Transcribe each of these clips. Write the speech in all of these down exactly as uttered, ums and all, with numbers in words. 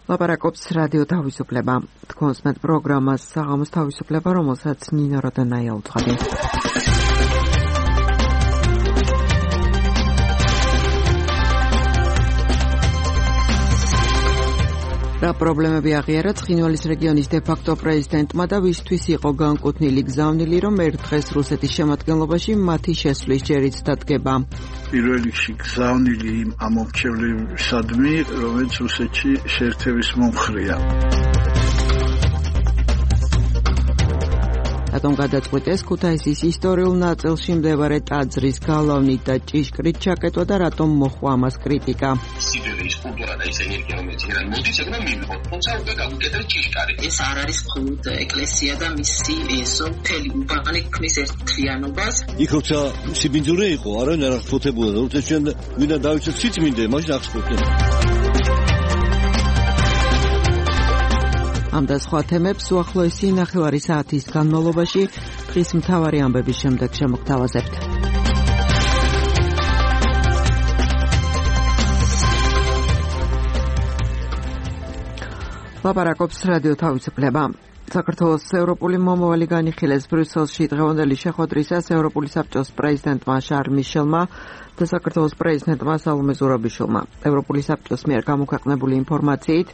ლაპარაკობს რადიო თავისუფლება. თქვენს მეტ პროგრამას საღამოს თავისუფლება, რომელსაც ნინო როდონაია უძღვები. რა პრობლემები აღიარა ცხინვალის რეგიონის დე-ფაქტო პრეზიდენტმა და ვისთვის იყო განკუთვნილი გზავნილი, რომ ერთ დღეს რუსეთის შემადგენლობაში მათი შესვლის ჯერიც დადგება. პირველ რიგში გზავნილი იმ ამომრჩევლებისადმი, რომელიც რუსეთში შეერთების მომხრეა. რატომ გადაწყვიტეს ქუთაისის ისტორიულ ნაწილში მდებარე ტაძრის გალავნით და ჭიშკრით ჩაკეტვა და რატომ მოჰყვა ამას კრიტიკა? სიბერის კულტურა და ის ენერგია, რომელიც իրან მოდის, ეგრე მივიღოთ, თუმცა უკვე გავუკეთეთ ჭიშკარი. ეს არ არის მხოლოდ ეკლესია და მისი ესო მთელი უბანი ქმნის ერთთვიანობას. იქ როცა სიბინძურე იყო, არავინ არ აღწოთებულა და როცა ჩვენ ვინდა დავიცოთ სიწმინდე, მაშინ აღწოთებულა. ამ და სხვა თემებს უახლოესი ნახევარი საათის განმავლობაში დღის მთავარი ამბების შემდეგ შემოგთავაზებთ. ლაპარაკობს რადიო თავისუფლება. საქართველოს ევროპული მომავალი განიხილეს ბრიუსელში დღევანდელი შეხვედრისას ევროპული საბჭოს პრეზიდენტმა შარლ მიშელმა და საქართველოს პრეზიდენტმა სალომე ზურაბიშვილმა. ევროპული საბჭოს მიერ გამოქვეყნებული ინფორმაციით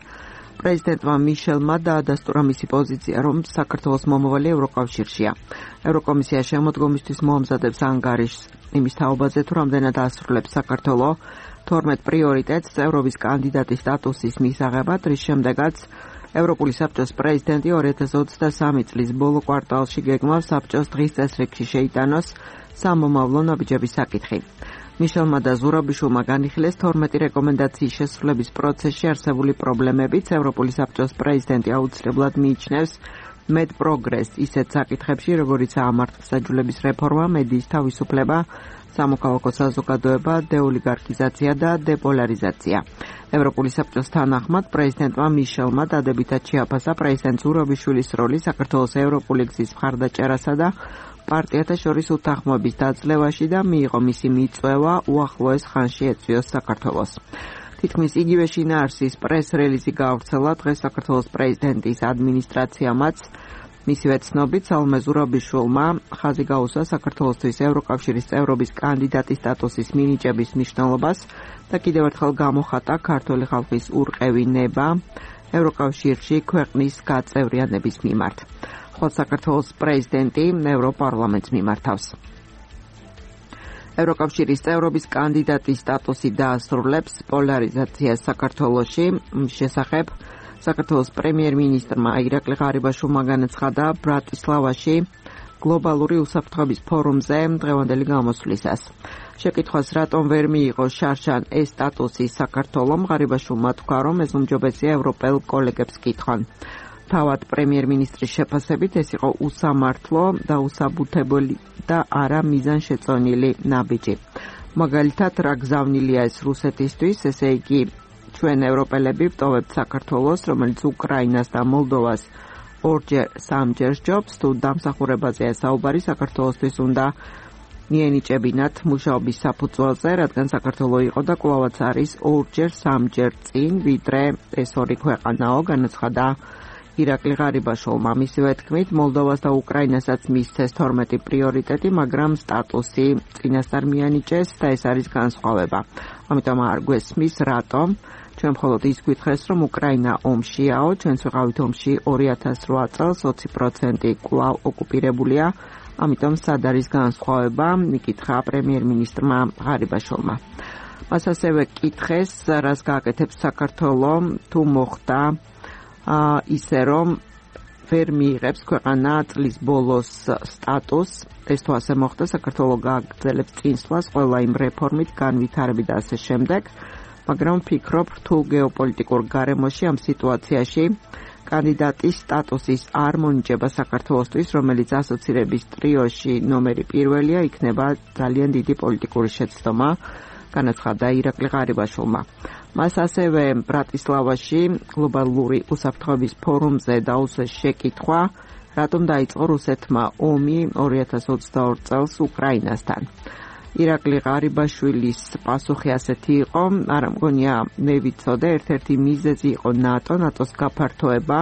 პრეზიდენტმა მიშელმა დაადასტურა მისი პოზიცია, რომ საქართველოს მომავალი ევროკავშირშია. ევროკომისია შემოდგომისთვის მოამზადებს ანგარიშს იმის თაობაზე, თუ რამდენად ასრულებს საქართველო თორმეტ პრიორიტეტს წევრობის კანდიდატის სტატუსის მისაღებად, რის შემდეგაც ევროპული საბჭოს პრეზიდენტი ორი ათას ოცდასამი წლის ბოლო კვარტალში გეგმავს საბჭოს დღის წესრიგში შეიტანოს სამომავლო ნაბიჯების საკითხი. მიშელმა და ზურაბიშვილმა განიხილეს თორმეტი რეკომენდაციის შესრულების პროცესში არსებული პრობლემებიც. ევროპული საბჭოს პრეზიდენტი აუცილებლად მიიჩნევს მეტ პროგრესს ისეთ საკითხებში, როგორიცაა მართლმსაჯულების რეფორმა, მედიის თავისუფლება, სამოქალაქო საზოგადოება, დეოლიგარქიზაცია და დეპოლარიზაცია. ევროპული საბჭოს თანახმად პრეზიდენტმა მიშელმა დადებითად შეაფასა პრეზიდენტ ზურაბიშვილის როლი საქართველოს ევროპული გზის მხარდაჭერასა და პარტიათა შორის უთანხმოების დაძლევაში და მიიღო მისი მიწვევა უახლოეს ხანში ეწვიოს საქართველოს. თითქმის იგივე შინაარსის პრეს-რელიზი გაავრცელა დღეს საქართველოს პრეზიდენტის ადმინისტრაციამაც. მისივე ცნობით სალომე ზურაბიშვილმა ხაზი გაუსვა საქართველოსთვის ევროკავშირის წევრობის კანდიდატის სტატუსის მინიჭების მნიშვნელობას და კიდევ ერთხელ გამოხატა ქართული ხალხის ურყევი ნება ევროკავშირში ქვეყნის გაწევრიანების მიმართ. ხოლო საქართველოს პრეზიდენტი ევროპარლამენტს მიმართავს. ევროკავშირის წევრობის კანდიდატის სტატუსი დაასრულებს პოლარიზაციას საქართველოში. შესახებ საქართველოს პრემიერ-მინისტრმა ირაკლი ღარიბაშვილმა განაცხადა ბრატისლავაში გლობალური უსაფრთხოების ფორუმზე დღევანდელი გამოსვლისას. შეკითხვას რატომ ვერ მიიღო შარშან ეს სტატუსი საქართველომ, ღარიბაშვილმა თქვა, რომ ეს უმჯობესია ევროპელ კოლეგებს კითხონ. თავად პრემიერ-მინისტრის შეფასებით ეს იყო უსამართლო და უსაბუთებელი და არა მიზანშეწონილი ნაბიჯი. მაგალითად, რა გზავნილია ეს რუსეთისთვის, ესე იგი ჩვენ ევროპელები ვტოვებთ საქართველოს, რომელიც უკრაინას და მოლდოვას ორჯერ სამჯერ სჯობს, თუ დამსახურებაზეა საუბარი, საქართველოსთვის უნდა მიენიჭებინათ მუშაობის საფუძველზე, რადგან საქართველო იყო და კვლავაც არის ორჯერ სამჯერ წინ, ვიდრე ეს ორი ქვეყანაო, განაცხადა ირაკლი ღარიბაშვილმა. მისივე თქმით, მოლდოვას და უკრაინასაც მისცეს თორმეტი პრიორიტეტი, მაგრამ სტატუსი წინასწარ მიანიჭეს და ეს არის განსხვავება. ამიტომ არ გვესმის რატომ. ჩვენ მხოლოდ ის გვითხრეს, რომ უკრაინა ომშიაო, ჩვენც ვიყავით ომში ორი ათას რვა წელს, ოცი პროცენტი კვლავ ოკუპირებულია, ამიტომ სად არის განსხვავება, მიკითხა პრემიერ-მინისტრმა ღარიბაშვილმა. მას ასევე კითხეს, რას გააკეთებს საქართველო, თუ მოხდა ისე რომ ვერ მიიღებს ქვეყანა წლის ბოლოს სტატუსს. ეს თუ ასე მოხდა, საქართველო გააგრძელებს წინსვლას ყველა იმ რეფორმით, განვითარებით და ასე შემდეგ. მაგრამ ვფიქრობ, თუ გეოპოლიტიკურ გარემოში ამ სიტუაციაში კანდიდატის სტატუსის არ მონიჭება საქართველოსთვის, რომელიც ასოცირების ტრიოში ნომერი პირველია, იქნება ძალიან დიდი პოლიტიკური შეცდომა, განაცხადა ირაკლი ღარიბაშვილმა. მას ასევე ბრატისლავაში გლობალური უსაფრთხოების ფორუმზე დაუსვეს შეკითხვა, რატომ დაიწყო რუსეთმა ომი ორი ათას ოცდაორ წელს უკრაინასთან. ირაკლი ღარიბაშვილის პასუხი ასეთი იყო, არა მგონია მე ვიცოდე, ერთ-ერთი მიზეზი იყო ნატო, ნატოს გაფართოება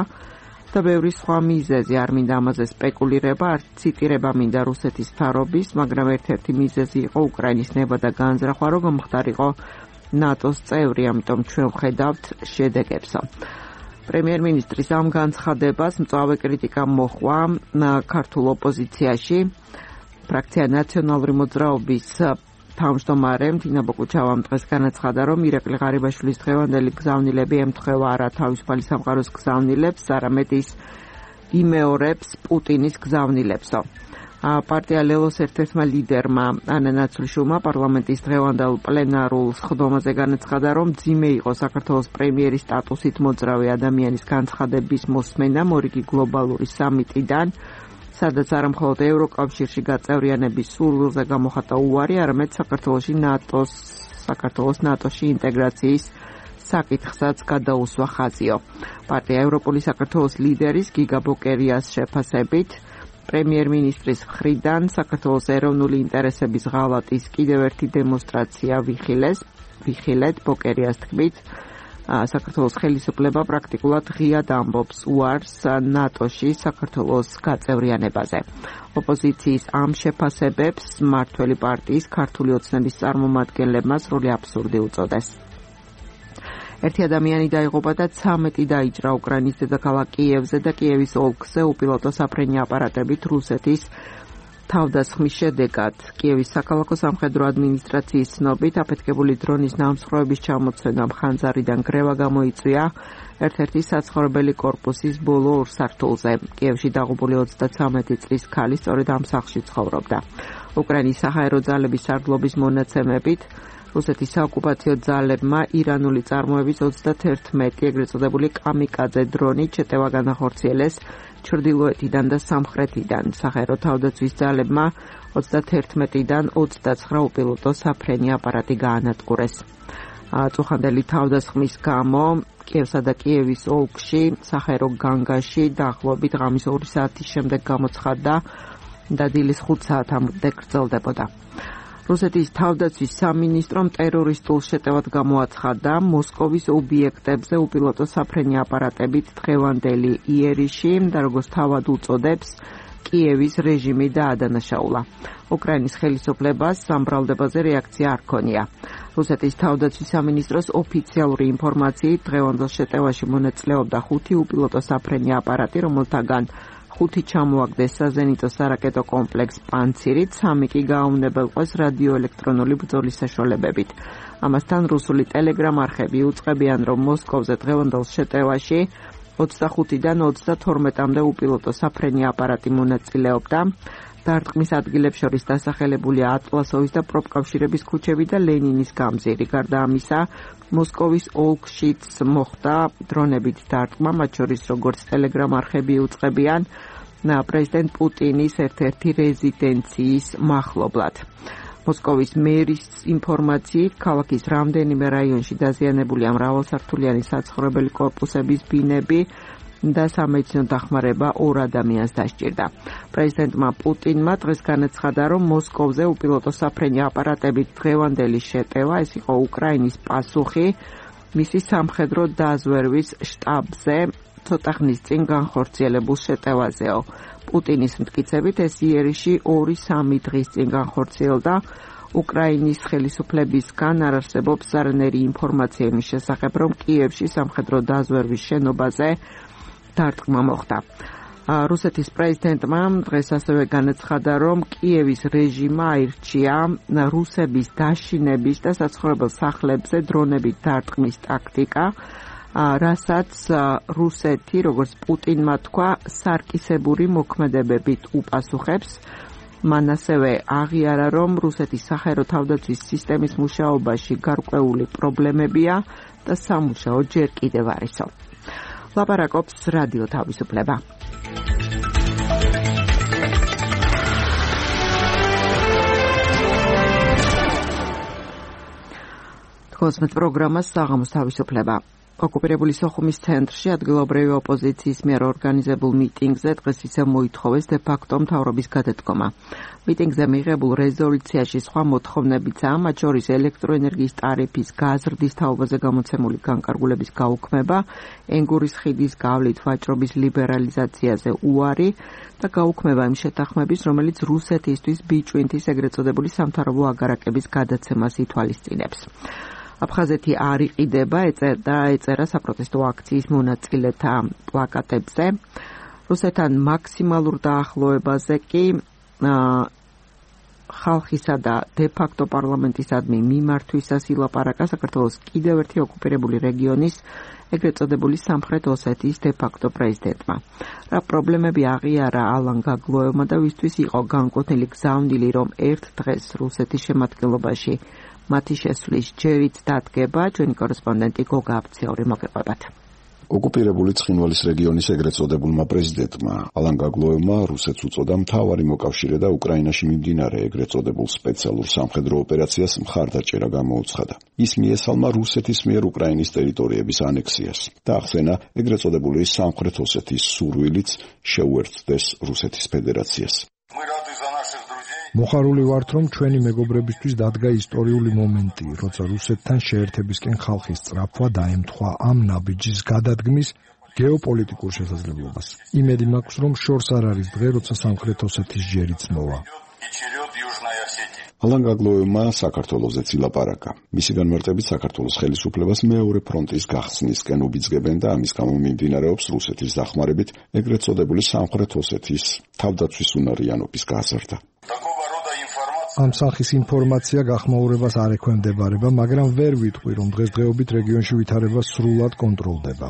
და ბევრი სხვა მიზეზი, არ მინდა ამაზე სპეკულირება, არ ციტირება მინდა რუსეთის მთავრობის, მაგრამ ერთ-ერთი მიზეზი იყო უკრაინის ნება და განზრახვა, რომ მომხდარიყო ნატოს წევრი, ამიტომ ჩვენ ვხედავთ შედეგებსო. პრემიერ-მინისტრის ამ განცხადებას მწვავე კრიტიკა მოჰყვა ქართულ ოპოზიციაში. ფრაქცია ნაციონალური მოძრაობის თავმჯდომარემ თინა ბოկუჩავამ დღეს განაცხადა, რომ ირაკლი ღარიბაშვილის დღევანდელი გზავნილები ემთხვევა არა თავისუფალი სამყაროს გზავნილებს, არამედ ის იმეორებს პუტინის გზავნილებსო. პარტია ლელოს ერთ-ერთმა ლიდერმა ანა ნაცვლიშვილმა პარლამენტის დღევანდელ პლენარულ სხდომაზე განაცხადა, რომ ძიმე იყო საქართველოს პრემიერის სტატუსით მოძრავი ადამიანის განცხადების მოსმენა მორიგი გლობალური სამიტიდან, სადაც არა მხოლოდ ევროკავშირში გაწევრიანების სურვილზე გამოხატა უარი, არამედ საქართველოში ნატოს საქართველოს ნატოში ინტეგრაციის საკითხსაც გადაუსვა ხაზიო. პარტია ევროპული საქართველოს ლიდერის გიგა ბოკერიას შეფასებით პრემიერ-მინისტრის მხრიდან საქართველოს ეროვნული ინტერესების ღალატის კიდევ ერთი დემონსტრაცია ვიხილეს, ვიხილეთ ბოკერიას თქმით, საქართველოს ხელისუფლება პრაქტიკულად ღიად ამბობს უარს ნატოში საქართველოს გაწევრიანებაზე. ოპოზიციის ამ შეფასებებს მმართველი პარტიის ქართული ოცნების წარმომადგენლებმა სრული აბსურდი უწოდეს. ერთი ადამიანი დაიღუპა და ცამეტი დაიჭრა უკრაინის დედაქალაქ კიევზე და კიევის ოლქზე უპილოტო საფრენი აპარატებით რუსეთის თავდასხმის შედეგად. კიევის საქალაქო სამხედრო ადმინისტრაციის ცნობით აფეთქებული დრონის ნამსხვრევების ჩამოცვენამ ხანძარიდან გრევა გამოიწვია ერთ-ერთი საცხოვრებელი კორპუსის ბოლო ორ სართულზე. კიევში დაღუპული ოცდაცამეტი წლის ქალი სწორედ ამ სახლში ცხოვრობდა. უკრაინის საჰაერო ძალების სარდლობის მონაცემებით რუსეთის საოკუპაციო ძალებმა ირანული წარმოების ოცდაერთმეტი ეგრეთ წოდებული კამიკაძე დრონი ჩეტევა განახორციელეს ჩრდილოეთიდან და სამხრეთიდან. საჰაერო თავდაცვის ძალებმა ოცდაერთმეტიდან ოცდაცხრა უპილოტო საფრენი აპარატი გაანადგურეს. წუხანდელი თავდასხმის გამო კიევსა და კიევის ოლქში საჰაერო განგაში დაახლოებით ღამის ორი საათის შემდეგ გამოცხადდა და დილის ხუთ საათამდე გრძელდებოდა. რუსეთის თავდაცვის სამინისტრომ ტერორისტულ შეტევად გამოაცხადა მოსკოვის ობიექტებზე უპილოტო საფრენი აპარატებით დღევანდელი იერიში და როგორც თავად უწოდებს კიევის რეჟიმი დაადანაშაულა. უკრაინის ხელისუფლებას ამ ბრალდებაზე რეაქცია არ ჰქონია. რუსეთის თავდაცვის სამინისტროს ოფიციალური ინფორმაციით დღევანდელ შეტევაში მონაწილეობდა ხუთი უპილოტო საფრენი აპარატი, რომელთაგან ხუთი ჩამოაგდეს საზენიტო სარაკეტო კომპლექს პანცირით, სამი კი გააუნებელყვეს რადიოელექტრონული ბრძოლის საშუალებებით. ამასთან რუსული ტელეგრამ არხები უწყებიან, რომ მოსკოვზე დღევანდელ შეტევაში ოცდახუთიდან ოცდათორმეტამდე უპილოტო საფრენი აპარატი მონაწილეობდა. დარტყმის ადგილებს შორის დასახელებულია ატლასოვის და პროფკავშირების ქუჩები და ლენინის გამზირი. გარდა ამისა, მოსკოვის ოლქშიც მოხდა დრონებით დარტყმა, მათ შორის როგორც ტელეგრამ არხები უწყებიან პრეზიდენტ პუტინის ერთ-ერთი რეზიდენციის მახლობლად. მოსკოვის მერის ინფორმაციით, ქალაქის რამდენიმე რაიონში დაზიანებულია მრავალსართულიანი საცხოვრებელი კორპუსების ბინები და სამედიცინო დახმარება ორ ადამიანს დასჭირდა. პრეზიდენტმა პუტინმა დღეს განაცხადა, რომ მოსკოვზე უპილოტო საფრენი აპარატებით დღევანდელი შეტევა, ეს იყო უკრაინის პასუხი მისი სამხედრო დაზვერვის შტაბზე ცოტა ხნის წინ განხორციელებულ შეტევაზეო. პუტინის მტკიცებით ეს იერიში ორი-სამი დღის წინ განხორციელდა. უკრაინის ხელისუფლებისგან არ არსებობს არანაირი ინფორმაცია იმის შესახებ, რომ კიევში სამხედრო დაზვერვის შენობაზე დარტყმა მოხდა. რუსეთის პრეზიდენტმა დღეს ასევე განაცხადა, რომ კიევის რეჟიმმა აირჩია რუსების დაშინების და საცხოვრებელ სახლებზე დრონებით დარტყმის ტაქტიკა, რასაც რუსეთი, როგორც პუტინმა თქვა, სარკისებური მოქმედებებით უპასუხებს. მან ასევე აღიარა, რომ რუსეთის საჰაერო თავდაცვის სისტემის მუშაობაში გარკვეული პრობლემებია და სამუშაო ჯერ კიდევ არისო. ლაპარაკობს რადიო თავისუფლება. თქოსმეთ პროგრამას საღამოს თავისუფლება. ოკუპირებული სოხუმის ცენტრში ადგილობრივი ოპოზიციის მიერ ორგანიზებულ მიტინგზე დღეს ისევ მოითხოვეს დე-ფაქტო მთავრობის გადადგომა. მიტინგზე მიღებულ რეზოლუციაში სხვა მოთხოვნებიცაა, მათ შორის ელექტროენერგიის ტარიფის გაზრდის თაობაზე გამოცემული განკარგულების გაუქმება, ენგურის ხიდის გავლით ვაჭრობის ლიბერალიზაციაზე უარი და გაუქმება იმ შეთანხმების, რომელიც რუსეთისთვის ბიჭვინთის ეგრეთ წოდებული სამთავრობო აგარაკების გადაცემას ითვალისწინებს. აფხაზეთი არ იყიდება, ეწერა ეწერა საპროტესტო აქციის მონაწილეთა პლაკატებზე. რუსეთთან მაქსიმალურ დაახლოებაზე კი ხალხისა და დე-ფაქტო პარლამენტისადმი მიმართვისას ილაპარაკა საქართველოს კიდევ ერთი ოკუპირებული რეგიონის ეგრეთ წოდებული სამხრეთ ოსეთის დე-ფაქტო პრეზიდენტმა. რა პრობლემები აღიარა ალან გაგლოევმა და ვისთვის იყო განკუთვნილი გზავნილი, რომ ერთ დღეს რუსეთის შემადგენლობაში მათი შესვლის ჯერიც დადგება. ჩვენი კორესპონდენტი გოგა აფციური მოგეყვებათ. ოკუპირებული ცხინვალის რეგიონის ეგრეთ წოდებულმა პრეზიდენტმა ალან გაგლოევმა რუსეთს უწოდა მთავარი მოკავშირე და უკრაინაში მიმდინარე ეგრეთ წოდებულ სპეციალურ სამხედრო ოპერაციას მხარდაჭერა გამოუცხადა. ის მიესალმა რუსეთის მიერ უკრაინის ტერიტორიების ანექსიას და ახსენა ეგრეთ წოდებული სამხრეთ ოსეთის სურვილიც შეუერთდეს რუსეთის ფედერაციას. მოხარული ვართ, რომ ჩვენი მეგობრებისთვის დადგა ისტორიული მომენტი, როცა რუსეთთან შეერთებისკენ ხალხის სწრაფვა დაემთხვა ამ ნაბიჯის გადადგმის გეოპოლიტიკურ შესაძლებლობას. იმედი მაქვს, რომ შორს არ არის დღე, როცა სამხრეთ ოსეთის ჯერიც მოვა. ალან გაგლოევმა საქართველოსაც ილაპარაკა. მისი განმარტებით საქართველოს ხელისუფლებას მეორე ფრონტის გახსნისკენ უბიძგებენ და ამის გამო მიმდინარეობს რუსეთის დახმარებით ეგრეთ წოდებული სამხრეთ ოსეთის თავდაცვის უნარიანობის გაზრდა. ამ სახის ინფორმაცია გახმაურებას არ ექვემდებარება, მაგრამ ვერ ვიტყვი, რომ დღესდღეობით რეგიონში ვითარება სრულად კონტროლდება.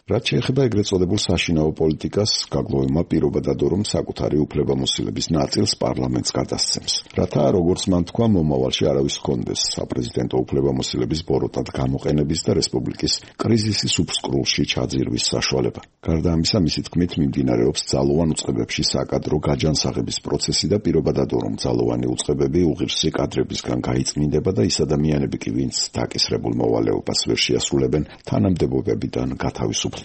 რაც შეეხება ეგრეთ წოდებულ საშინაო პოლიტიკას, გაგლოევმა პირობა დადო, რომ საკუთარი უფლებამოსილების ნაწილს პარლამენტს გადასცემს. რათა, როგორც მან თქვა, მომავალში არავის ჰქონდეს საპრეზიდენტო უფლებამოსილების ბოროტად გამოყენების და რესპუბლიკის კრიზისის უფსკრულში ჩაძირვის საშუალება. გარდა ამისა, მისი თქმით, მიმდინარეობს ძალოვან უწყებებში საკადრო გაჯანსაღების პროცესი და პირობა დადო, რომ ძალოვანი უწყებები უღირსი კადრებისგან გაიწმინდება და ის ადამიანები კი, ვინც დაკისრებულ მოვალეობას ვერ შეასრულებენ, თანამდებობებიდან გათავისუფლდებიან.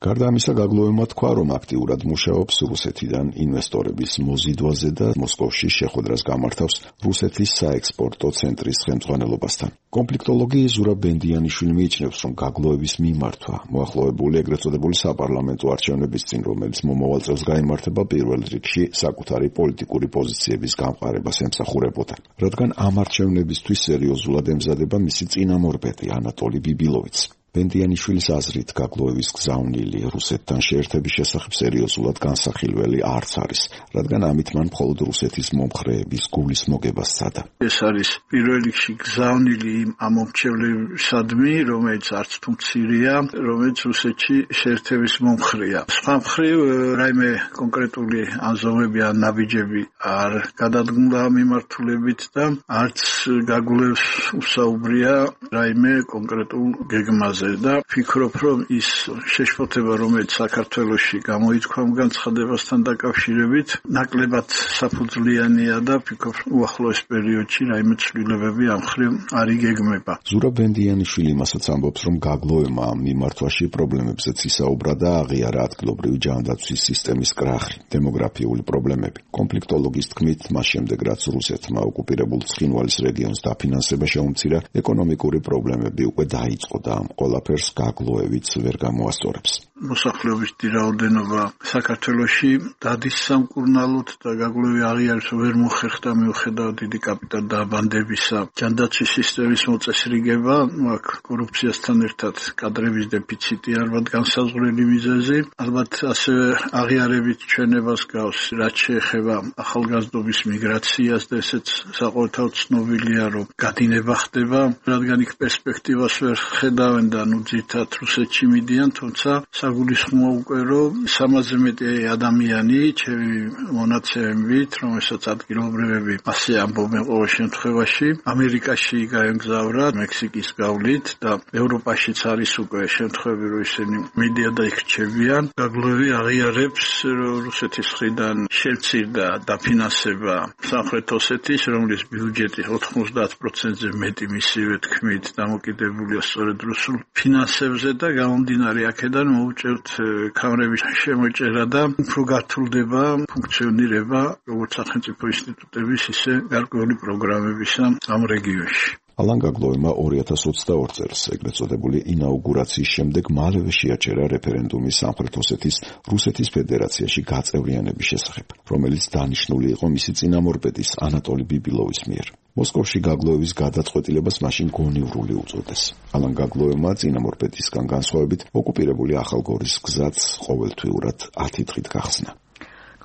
გარდა ამისა, გაგლოევმა თქვა, რომ აქტიურად მუშაობს რუსეთიდან ინვესტორების მოზიდვაზე და მოსკოვში შეხვედრას გამართავს რუსეთის საექსპორტო ცენტრის ხელმძღვანელობასთან. კონფლიქტოლოგი ზურა ბენდიანიშვილი მიიჩნევს, რომ გაგლოევის მიმართვა მოახლოებული ეგრეთ წოდებული საპარლამენტო არჩევნების წინ, რომელიც მომავალ წელს გაიმართება, პირველ რიგში საკუთარი პოლიტიკური პოზიციების გამყარებას ემსახურებოდა. რადგან ამ არჩევნებისთვის სერიოზულად ემზადება მისი წინამორბედი ანატოლი ბიბილოვიც. ბენდიანიშვილის აზრით, გაგლოევის გზავნილი რუსეთთან შეერთების შესახებ სერიოზულად განსახილველი არც არის, რადგან ამით მან მხოლოდ რუსეთის მომხრეების გულის მოგებას სცადა. ეს არის პირველ რიგში გზავნილი იმ ამომრჩევლებისადმი, რომელიც არც თუ მცირეა, რომელიც რუსეთში შეერთების მომხრეა. სხვა მხრივ, რაიმე კონკრეტული აზომები ან ნაბიჯები არ გადადგმულა მიმართულებით და არც გაგლოევს უსაუბრია რაიმე კონკრეტულ გეგმაზე. და ფიქრობ, რომ ის შეშფოთება, რომელიც საქართველოში გამოითქვა განცხადებასთან დაკავშირებით, ნაკლებად საფუძვლიანია და ფიქრობ, უახლოეს პერიოდში რაიმე ცვლილებები ამ მხრივ არ იგეგმება. ზურა ბენდიანიშვილი მასაც ამბობს, რომ გაგლოევმა ამ მიმართვაში პრობლემებზეც ისაუბრა და აღიარა ადგილობრივი ჯანდაცვის სისტემის კრახი, დემოგრაფიული პრობლემები. კონფლიქტოლოგის თქმით, მას შემდეგ რაც რუსეთმა ოკუპირებულ ცხინვალის რეგიონს დაფინანსება შეუმცირა, ეკონომიკური პრობლემები უკვე დაიწყო და ამ ყველაფერს გაგლოევიც ვერ გამოასწორებს. მოსახლეობის რაოდენობა საქართველოში დადის სამკურნალოდ და გაგლოევი აღიარებს, ვერ მოხერხდა მიუხედავად დიდი კაპიტალდაბანდებისა. ჯანდაცვის სისტემის მოწესრიგება, აქ კორუფციასთან ერთად კადრების დეფიციტი ალბათ განსაზღვრელი მიზეზი. ალბათ ასევე აღიარებით ჩვენებას გავს, რაც შეეხება ახალგაზრდობის მიგრაციას და ესეც საყოველთაოდ ცნობილია, რომ გადინება ხდება, რადგან იქ პერსპექტივას ვერ ხედავენ და ნუ ძირთად რუსეთში მიდიან, თუმცა საგულისხმოა უკვე რომ სამაზე მეტი ადამიანი ჩემი მონაცემებით, რომელსაც ადგილობრივები ასე ამბობენ ყოველ შემთხვევაში, ამერიკაში გაემგზავრა მექსიკის გავლით და ევროპაშიც არის უკვე შემთხვევები, რომ ისინი მიდიან და იქ რჩებიან. გაგლოვი აღიარებს, რომ რუსეთის მხრიდან შემცირდა დაფინანსება სამხრეთ ოსეთის, რომლის ბიუჯეტი ოთხმოცდაათ პროცენტზე მეტი მისივე თქმით დამოკიდებულია სწორედ რუსულ ფინანსებზე და გამომდინარე აქედან მოუწევთ კამრების შემოჭერა და უფრო გართულდება ფუნქციონირება როგორც სახელმწიფო ინსტიტუტების, ისე გარკვეული პროგრამებისა ამ რეგიონში. ალან გაგლოვმა ორი ათას ოცდაორი წელს ეგრეთ წოდებული ინაუგურაციის შემდეგ მალევე შეაჩერა რეფერენდუმი სამხრეთ ოსეთის რუსეთის ფედერაციაში გაწევრიანების შესახებ, რომელიც დანიშნული იყო მისი წინამორბედის ანატოლი ბიბილოვის მიერ. მოსკოვში გაგლოევის გადაწყვეტილებას მაშინ გონივრული უწოდეს. ალან გაგლოევმა წინამორბედისგან განსხვავებით ოკუპირებული ახალგორის გზაც ყოველთვიურად ათი დღით გახსნა.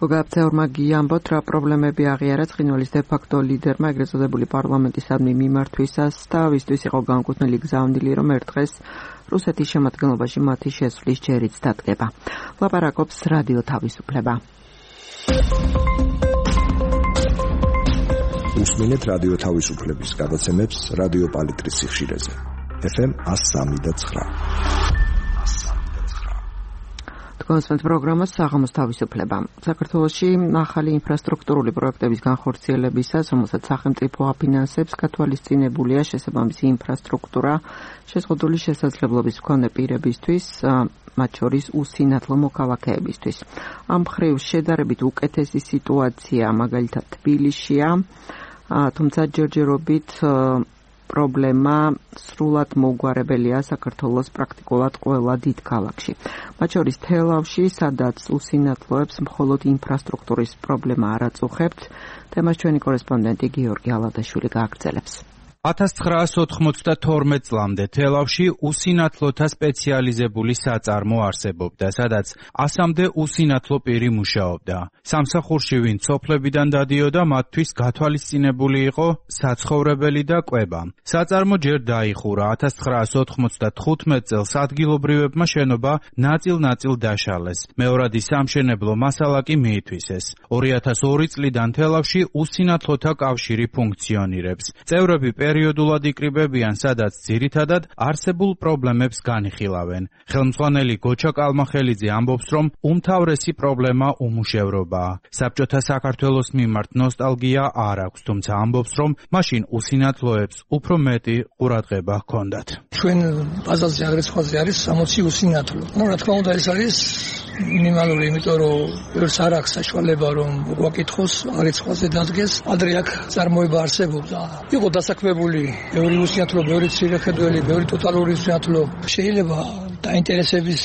გოგაბცეორმა გიამბოთ, რა პრობლემები აღიარა ცხინვალის დე-ფაქტო ლიდერმა ეგრეთ წოდებული პარლამენტისადმი მიმართვისას და ვისთვის იყო განკუთვნილი გზავნილი, რომ ერთ დღეს რუსეთის შემადგენლობაში მათი შესვლის ჯერიც დადგება. ლაპარაკობს რადიო თავისუფლება. უსმენთ რადიო თავისუფლების გადაცემებს რადიო პალიტრის სიხშირეზე. ეფ ემ one oh three point nine. კონსპენთ პროგრამას საღამოს თავისუფლება. საქართველოში ახალი ინფრასტრუქტურული პროექტების განხორციელებისას, რომელსაც სახელმწიფო აფინანსებს, გათვალისწინებულია შესაბამისი ინფრასტრუქტურა შეზღუდული შესაძლებლობის მქონე პირებისთვის, მათ შორის უსინათლო მოქალაქეებისთვის. ამ მხრივ შედარებით უკეთესი სიტუაცია მაგალითად თბილისშია, თუმცა ჯერჯერობით პრობლემა სრულად მოუგვარებელია საქართველოს პრაქტიკულად ყველა დიდ ქალაქში. მათ შორის თელავში, სადაც უსინათლოებს მხოლოდ ინფრასტრუქტურის პრობლემა არ აწუხებთ, თემას ჩვენი კორესპონდენტი გიორგი ალადაშვილი გააგრძელებს. ათას ცხრაასი ოთხმოცდათორმეტ წლამდე თელავში უსინათლოთა სპეციალიზებული საწარმო არსებობდა, სადაც ასამდე უსინათლო პირი მუშაობდა. სამსახურში ვინ სოფლებიდან დადიოდა, მათთვის გათვალისწინებული იყო საცხოვრებელი და კვება. საწარმო ჯერ დაიხურა. ათას ცხრაასი ოთხმოცდათხუთმეტ წელს ადგილობრივებმა შენობა ნაწილ-ნაწილ დაშალეს. მეორადი სამშენებლო მასალა კი მიითვისეს. ორი ათას ორი წლიდან თელავში უსინათლოთა კავშირი ფუნქციონირებს. წევრები პერიოდულად იკრიბებიან, სადაც ძირითადად არსებულ პრობლემებს განიხილავენ. ხელმძღვანელი გოჩა კალმახელიძე ამბობს, რომ უმთავრესი პრობლემა უმუშევრობაა. საბჭოთა საქართველოს მიმართ ნოსტალგია არ აქვს, თუმცა ამბობს, რომ მაშინ უსინათლოებს უფრო მეტი ყურადღება ჰქონდათ. ჩვენ ბაზარზე აგრეთვე არის სამოცი უსინათლო. ნუ რა თქმა უნდა ეს არის მინიმალური, იმიტომ რომ ბევრს არ აქვს საშუალება რომ გვაკითხოს, არიცხვაზე დადგეს. ადრე აქ წარმოება არსებობდა. იყო დასაქმებული ბევრი უსინათლო, ბევრი ცირეხედველი, ბევრი ტოტალური უსინათლო. შეიძლება დაინტერესების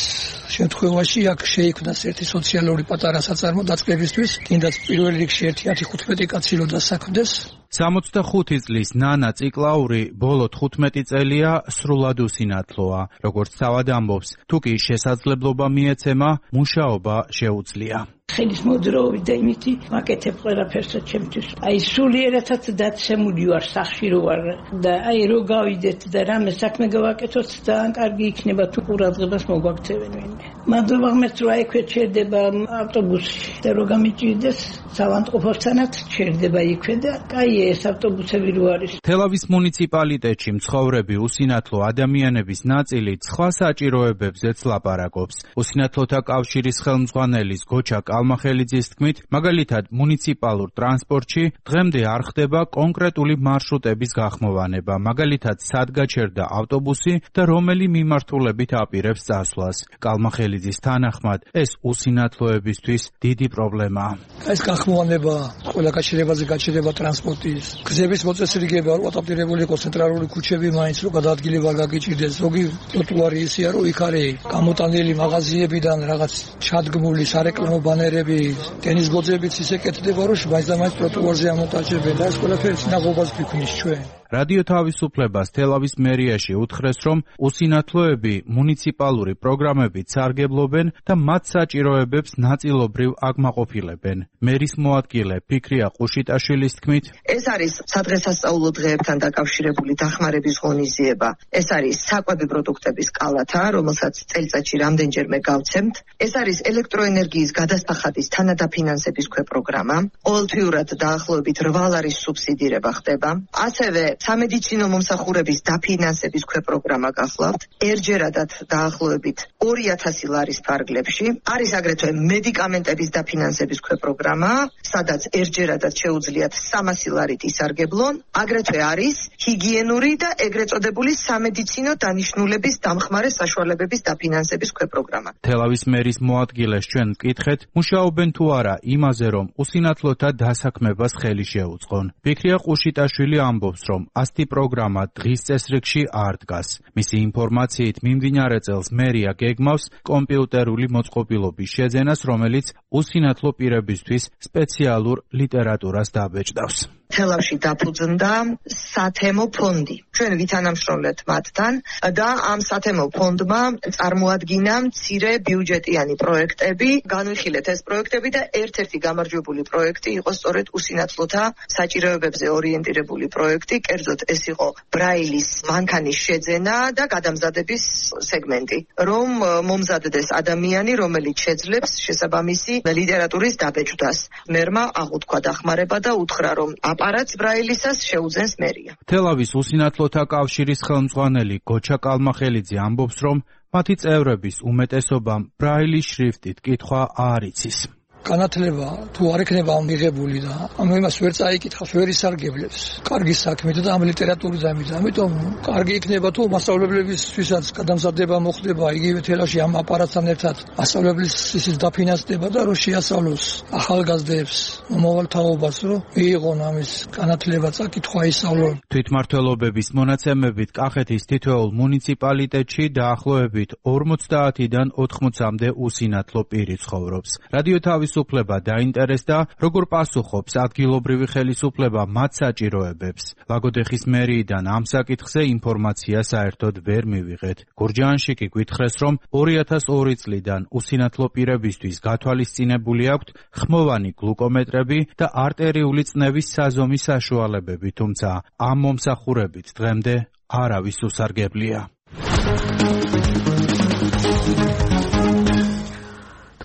შემთხვევაში აქ შეიქმნას ერთი სოციალური პატარა საწარმო დაწყებისთვის, კიდაც პირველ რიგში ერთი ათი ხუთმეტი კაცი რო დასაქმდეს. სამოცდახუთი წლის ნანა ციკლაური ბოლო თხუთმეტი წელია სრულად უსინათლოა. როგორც თავად ამბობს, თუ კი შესაძლებლობა მიეცემა, მუშაობა შეუძლია. ხელის მოძრაობით და იმითი ვაკეთებ ყველაფერსაც ჩემთვის. აი სულიერათაც დაცემული ვარ, სახში რო ვარ და აი რო გავიდეთ და რამე საქმე გავაკეთოთ და ან კარგი იქნება თუ ყურადღებას მოგვაქცევენ ვინმე. მადლობა ღმერთს რომ აი ქვე ჩერდება ავტობუსში და რო გამიჭირდეს სავანტყოფოსთანაც ჩერდება იქვე და კაია ეს ავტობუსები რო არის. თელავის მუნიციპალიტეტში მცხოვრები უსინათლო ადამიანების ნაწილი სხვა საჭიროებებზეც ლაპარაკობს. უსინათლოთა კავშირის ხელმძღვანელის გოჩა კალმახელიძის თქმით, მაგალითად მუნიციპალურ ტრანსპორტში დღემდე არ ხდება კონკრეტული მარშრუტების გახმოვანება, მაგალითად სად გაჩერდა ავტობუსი და რომელი მიმართულებით აპირებს წასვლას. კალმახელიძის თანახმად, ეს უსინათლოებისთვის დიდი პრობლემაა. ეს გახმოვანება ყველა გაჩერებაზე გაჩერება ტრანსპორტის, გზების მოწესრიგება, რომ ადაპტირებული იყოს ცენტრალური ქუჩები, მაინც რომ გადაადგილება გაგიჭირდეს. ზოგი ტროტუარი ისეა, რომ იქ არის გამოტანილი მაღაზიებიდან რაღაც ჩადგმული სარეკლამო ბანერები, ტენის გოძებიც ისე კეთდება, რომ მაინც და მაინც ტროტუარზე ამოტაჭებენ და ეს ყველაფერი სინაღობას გვიქმნის ჩვენ. რადიო თავისუფლებას თელავის მერიაში უთხრეს, რომ უსინათლოები მუნიციპალური პროგრამებით სარგებლობენ და მათ საჭიროებებს ნაწილობრივ აკმაყოფილებენ. მერის მოადგილე ფიქრია ყუშიტაშვილის თქმით, ეს არის სადღესასწაულო დღეებთან დაკავშირებული დახმარების ღონისძიება. ეს არის საკვები პროდუქტების კალათა, რომელსაც წელიწადში რამდენჯერმე გავცემთ. ეს არის ელექტროენერგიის გადასახადის თანადაფინანსების ქვეპროგრამა. ყოველთვიურად დაახლოებით რვა ლარის სუბსიდირება ხდება. ასევე სამედიცინო მომსახურების დაფინანსების ქვეპროგრამა გახლავთ. ერჯერადად დაახლოებით ორი ათასი ლარის ფარგლებში. არის აგრეთვე მედიკამენტების დაფინანსების ქვეპროგრამა, სადაც ერჯერადად შეუძლიათ სამასი ლარით ისარგებლონ. აგრეთვე არის ჰიგიენური და ეგრეთ წოდებული სამედიცინო დანიშნულების დამხმარე საშუალებების დაფინანსების ქვეპროგრამა. თელავის მერის მოადგილეს ჩვენ ვკითხეთ, მუშაობენ თუ არა იმაზე, რომ უსინათლოთა დასაქმებას ხელი შეუწყონ. ფიქრია ყუშიტაშვილი ამბობს, რომ ასეთი პროგრამა დღის წესრიგში არ დგას. მისი ინფორმაციით მიმდინარე წელს მერია გეგმავს კომპიუტერული მოწყობილობის შეძენას, რომელიც უსინათლო პირებისთვის სპეციალურ ლიტერატურას დაბეჭდავს. თელავში დაფუძნდა სათემო ფონდი. ჩვენ ვითანამშრომლეთ მათთან და ამ სათემო ფონდმა წარმოადგინა მცირე ბიუჯეტიანი პროექტები. განვიხილეთ ეს პროექტები და ერთ-ერთი გამარჯვებული პროექტი იყო სწორედ უსინათლოთა საჭიროებებზე ორიენტირებული პროექტი. კერძოდ ეს იყო ბრაილის მანქანის შეძენა და გადამზადების სეგმენტი, რომ მომზადდეს ადამიანი, რომელიც შეძლებს შესაბამისი ლიტერატურის დაბეჭდას. მერმა აღუთქვა დახმარება და უთხრა, რომ აპარატს ბრაილისას შეუძენს მერია. თელავის უსინათლოთა კავშირის ხელმძღვანელი გოჩა კალმახელიძე ამბობს, რომ მათი წევრების უმეტესობამ ბრაილის შრიფტით კითხვა არ იცის. განათლება თუ არ ექნება მიღებული და ამ იმას ვერ წაიკითხავს, ვერ ისარგებლებს. კარგი საქმით და ამ ლიტერატურის ამით, ამიტომ კარგი იქნება თუ მასწავლებლებისთვისაც გადამზადება მოხდება იგივე თელავში ამ აპარატთან ერთად მასწავლებლის ისის დაფინანსდება და რომ შეასწავლოს ახალგაზრდებს, მომავალთაობას, რომ მიიღონ ამის განათლება, წაკითხვა, ისწავლონ. თვითმმართველობების მონაცემებით კახეთის თითოეულ მუნიციპალიტეტში დაახლოებით ორმოცდაათიდან ოთხმოცამდე უსინათლო პირი ცხოვრობს. რადიო თავის ხელისუფლება დაინტერესდა, როგორ პასუხობს ადგილობრივი ხელისუფლება მათ საჭიროებებს. ლაგოდეხის მერიიდან ამ საკითხზე ინფორმაცია საერთოდ ვერ მივიღეთ. გურჯაანში გითხრეს, რომ ორი ათას ორი წლიდან უსინათლო პირებისთვის გათვალისწინებული აქვთ ხმოვანი გლუკომეტრები და არტერიული წნევის საზომი საშუალებები, თუმცა ამ მომსახურებით დღემდე არავის უსარგებლია.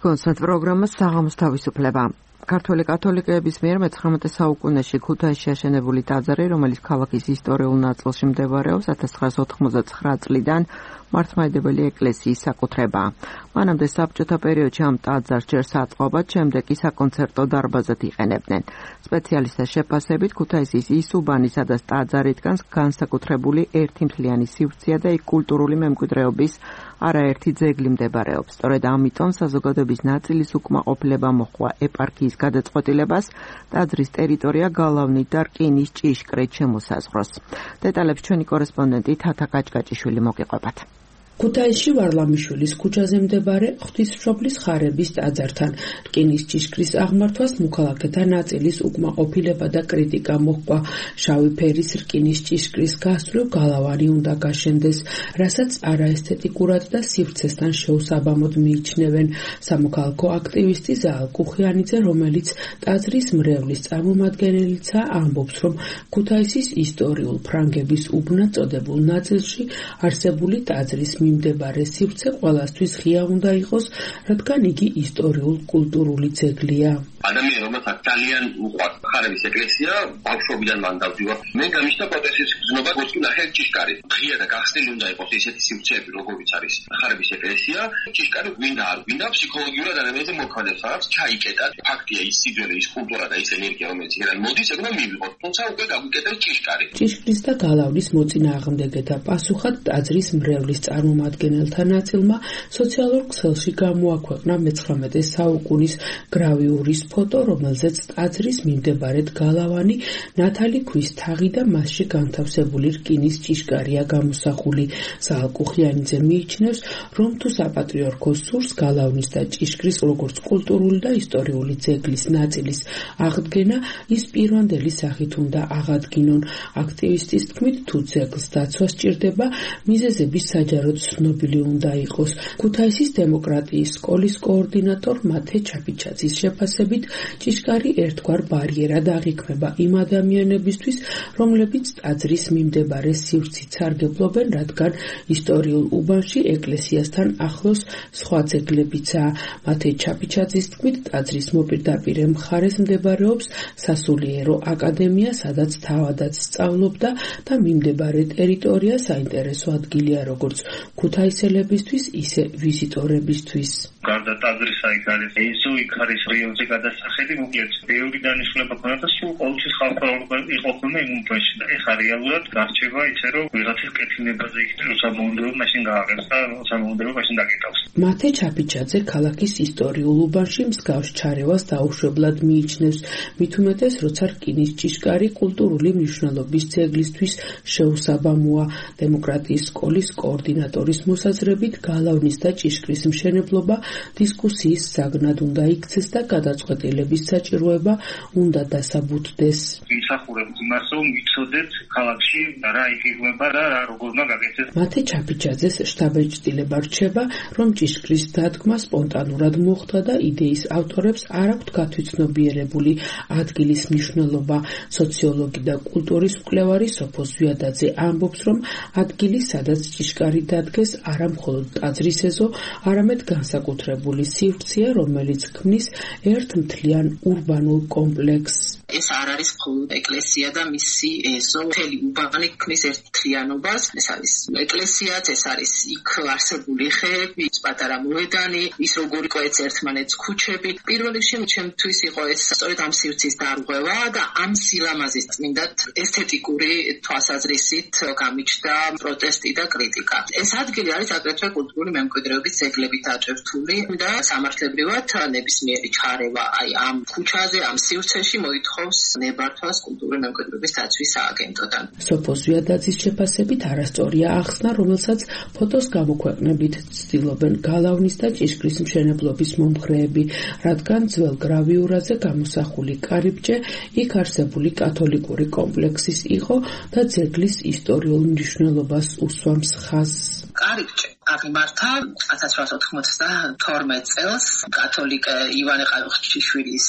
კონცერტ პროგრამა საღამოს თავისუფლება. ქართველი კათოლიკეების მიერ მეცხრამეტე საუკუნეში ქუთაისში აშენებული ტაძარი, რომელიც ქალაქის ისტორიულ ნაწილში მდებარეობს, ათას ცხრაას ოთხმოცდაცხრა წლიდან მართლმადიდებელი ეკლესიის საკუთრებაა. მანამდე საბჭოთა პერიოდში ამ ტაძარს ჯერ საწყობად, შემდეგ კი საკონცერტო დარბაზად იყენებდნენ. სპეციალისტთა შეფასებით, ქუთაისის ისუბანი, სადაც ტაძარი დგას, განსაკუთრებული ერთი მთლიანი სივრცეა და იქ კულტურული მემკვიდრეობის არაერთი ძეგლი მდებარეობს. სწორედ ამიტომ საზოგადოების ნაწილის უკმაყოფილება მოჰყვა ეპარქიის გადაწყვეტილებას ტაძრის ტერიტორია გალავნით და რკინის ჭიშკრით შემოსაზღვროს. დეტალებს ჩვენი კორესპონდენტი თათა კაჭკაჭიშვილი მოგიყვებათ. ქუთაისში ვარლამიშვილის ქუჩაზე მდებარე ღვთისმშობლის ხარების ტაძართან რკინის ჭიშკრის აღმართვას მოქალაქეთა ნაწილის უკმაყოფილება და კრიტიკა მოჰყვა. შავი ფერის რკინის ჭიშკრის გასწვრივ გალავანი უნდა გაშენდეს, რასაც არაესთეტიკურად და სივრცესთან შეუსაბამოდ მიიჩნევენ. სამოქალაქო აქტივისტი ზაალ კუხიანიძე, რომელიც ტაძრის მრევლის წარმომადგენელიცაა, ამბობს, რომ ქუთაისის ისტორიულ ფრანგების უბნად წოდებულ ნაწილში არსებული ტაძრის მიმდებარე სივრცე ყველასთვის ღია უნდა იყოს, რადგან იგი ისტორიულ-კულტურული ძეგლია. ადამიანი, რომელსაც ძალიან უყვარს ხარების ეკლესია, ბავშვობიდან მან დავდივარ. მე გამიშთა პროტესტის გზნობა გოსკი ნახე ჭიშკარი. ღია და გახსნილი უნდა იყოს ესეთი სივრცეები, როგორიც არის ხარების ეკლესია. ჭიშკარი გვინდა არ გვინდა, ფსიქოლოგიურად ადამიანზე მოქმედებს, რაღაც ჩაიკეტა. ფაქტია, ის სიძველე, ის კულტურა და ის ენერგია, რომელიც იქიდან მოდის, ეგ უნდა მივიღოთ. თუმცა უკვე გაგვიკეთებს ჭიშკარი. ჭიშკრის და გალავნის მოწინააღმდეგეთა პასუხად ტაძრის მრევლის წარმომადგენელთა ნაწილმა სოციალურ ქსელში გამოაქვეყნა მეცხრამეტე საუკუნის გრავიურის ფოტო, რომელზეც ტაძრის მიმდებარედ გალავანი, ნათალი ქვის თაღი და მასში განთავსებული რკინის ჭიშკარია გამოსახული. საალკუხიანიძე მიიჩნევს, რომ თუ საპატრიარქო სურს გალავნის და ჭიშკრის როგორც კულტურული და ისტორიული ძეგლის ნაწილის აღდგენა, ის პირვანდელი სახით უნდა აღადგინონ. აქტივისტის თქმით, თუ ძეგლს დაცვა სჭირდება, მიზეზების საჯაროდ ცნობილი უნდა იყოს. ქუთაისის დემოკრატიის სკოლის კოორდინატორ მათე ჩაფიჩაძის შეფასებით, ჭიშკარი ერთგვარ ბარიერად აღიქმება იმ ადამიანებისთვის, რომლებიც ტაძრის მიმდებარე სივრცით სარგებლობენ, რადგან ისტორიულ უბანში ეკლესიასთან ახლოს სხვა ძეგლებიცაა. მათე ჩაფიჩაძის თქმით, ტაძრის მოპირდაპირე მხარეს მდებარეობს სასულიერო აკადემია, სადაც თავადაც სწავლობდა და მიმდებარე ტერიტორია საინტერესო ადგილია როგორც ქუთაისელებისთვის, ისე ვიზიტორებისთვის. გარდა ტაძრისა იქ არის ეზო, იქ არის რაიონზე გადასახადი, მოკლედ ბევრი დანიშნულება ქონდა და სულ ყოველთვის ხალხმრავალი იყო ხოლმე იმ უბანში და ეხლა რეალურად გარჩევა ისე, რომ ვიღაცის კეთილნებაზე იქნება, როცა მოუნდერო მაშინ გააღებს და როცა მოუნდერო მაშინ დაგიტავს. მათე ჩაფიჩაძე ქალაქის ისტორიულ უბანში მსგავს ჩარევას დაუშვებლად მიიჩნევს, მით უმეტეს, როცა რკინის ჭიშკარი კულტურული მნიშვნელობის ძეგლისთვის შეუსაბამოა. დემოკრატიის სკოლის კოორდინატორის მოსაზრებით, გალავნის და ჭიშკრის მშენებლობა დისკუსიის საგნად უნდა იქცეს და გადაწყვეტილების საჭიროება უნდა დასაბუთდეს. ვიმსახურებთ იმას, რომ ვიცოდეთ ქალაქში რა იგეგმება და რა როგორ უნდა გაკეთდეს. მათე ჩაფიჩაძეს შტაბ-ეჭდილება რჩება, რომ ჭიშკრის დადგმა სპონტანურად მოხდა და იდეის ავტორებს არ აქვთ გათვითცნობიერებული ადგილის მნიშვნელობა. სოციოლოგი და კულტურის მკვლევარი სოფო ზვიადაძე ამბობს, რომ ადგილი, სადაც ჭიშკარი დადგეს, არა მხოლოდ ტაძრის ეზო, არამედ განსაკუთრებული სივრცეა, რომელიც ქმნის ერთ მთლიან ურბანულ კომპლექსს. ეს არ არის მხოლოდ ეკლესია და მისი ეზო, მთელი უბანი ქმნის ერთ მთლიანობას. ეს არის ეკლესიაც, ეს არის იქ არსებული ხეები, პატარა მოედანი, ის როგორ იყო ერთმანეთს ქუჩები. პირველ რიგში ჩემთვის იყო ეს სწორედ ამ სივრცის დარღვევა და ამ სილამაზის წმინდად ესთეტიკური თვალსაზრისით გამიჩნდა პროტესტი და კრიტიკა. ეს ადგილი არის აგრეთვე კულტურული მემკვიდრეობის ძეგლებით აჭრთული და სამართლებრივად ნებისმიერი ჩარევა აი ამ ქუჩაზე, ამ სივრცეში მოითხოვს ნებართვას კულტურული მემკვიდრეობის დაცვის სააგენტოდან. სოფო ზვიადაძის შეფასებით არასწორია ახსნა, რომელსაც ფოტოს გამოქვეყნებით ცდილობენ გალავნის და ჭიშკრის მშენებლობის მომხრეები, რადგან ძველ გრავიურაზე გამოსახული კარიბჭე იქ არსებული კათოლიკური კომპლექსის იყო და ძეგლის ისტორიულ მნიშვნელობას უსვამს ხაზს. კარიბჭე აღიმართა ათას ცხრაასი ოთხმოცდათორმეტ წელს კათოლიკ ივანე ყაუხჩიშვილის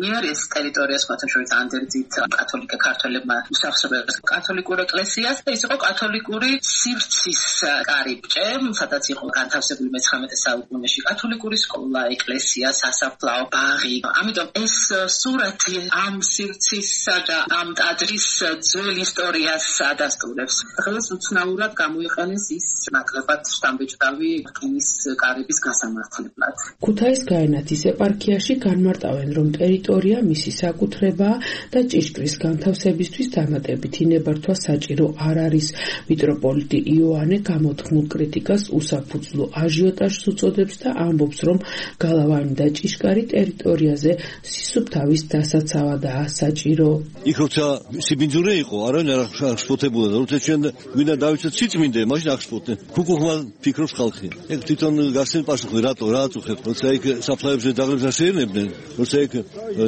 მიერ. ეს ტერიტორია სხვათა შორის ანდერძით კათოლიკ ქართველებმა უსახსრებდნენ კათოლიკურ ეკლესიას და ის იყო კათოლიკური სივრცის კარიბჭე, სადაც იყო განთავსებული მეცხრამეტე საუკუნეში კათოლიკური სკოლა, ეკლესია, სასაფლაო, ბაღი. ამიტომ ეს სურათი ამ სივრცისა და ამ ტაძრის ძველ ისტორიას ადასტურებს. დღეს უცნაურად გამოიყენეს ის ნაკლებად შთამბეჭდავი რკინის კარების გასამართლებლად. ქუთაის გაენათის ეპარქიაში განმარტავენ, რომ ტერიტორია მისი საკუთრებაა და ჭიშკრის განთავსებისთვის დამატებითი ნებართვა საჭირო არ არის. მიტროპოლიტი იოანე გამოთქმულ კრიტიკას უსაფუძვლო აჟიოტაჟს უწოდებს და ამბობს, რომ გალავანი და ჭიშკარი ტერიტორიაზე სისუფთავის დასაცავადაა საჭირო. იქ როცა სიბინძურე იყო, არავინ არ აღშფოთებულა და როცა ჩვენ გვინდა დავიცოთ სიწმინდე, მაშინ აღშფოთდნენ. ქუქუხმა ფიქრობს ხალხი. ეგ თვითონ გასცენ პასუხი, რატო რა აწუხებთ? როცა იქ საფლავებზე დაღლებს ასეირნებდნენ, როცა იქ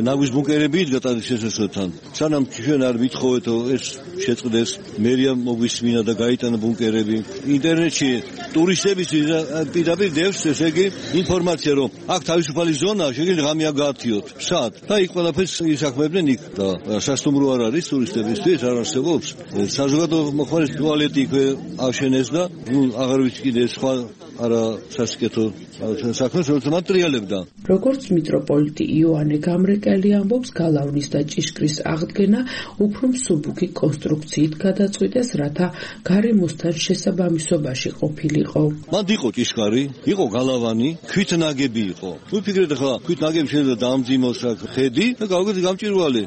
ნაგვის ბუნკერები იდგა ტაძრის შესასვლელთან. სანამ ჩვენ არ ვითხოვეთ ეს შეწყდეს, მერია მოგვისმინა და გაიტანა ბუნკერები. ინტერნეტში ტურისტებისთვის პირდაპირ დევს ესე იგი ინფორმაცია, რომ აქ თავისუფალი ზონაა, შეგიძლია ღამეა გაათიოთ. სად? და იქ ყველაფერს ისახმებდნენ იქ და სასტუმრო არ არის ტურისტებისთვის, არ არსებობს. საზოგადო მოხმარის ტუალეტი იქ აღშენეს და ნუ აღარ ვიცი კიდე სხვა არა სასიკეთო საქმეს როცა მატრიალებდა. როგორც მიტროპოლიტი იოანე გამრეკელი ამბობს, გალავნის და ჭიშკრის აღდგენა უფრო მსუბუქი კონსტრუქციით გადაწყვიტეს, რათა გარემოსთან შესაბამისობაში ყოფილიყო. მანდ იყო ჭიშკარი, იყო გალავანი, ქვით ნაგები იყო. ვიფიქრეთ ახლა ქვით ნაგები შეიძლება დაამძიმოს აქ ხედი და გავიგეთ გამჭირვალე.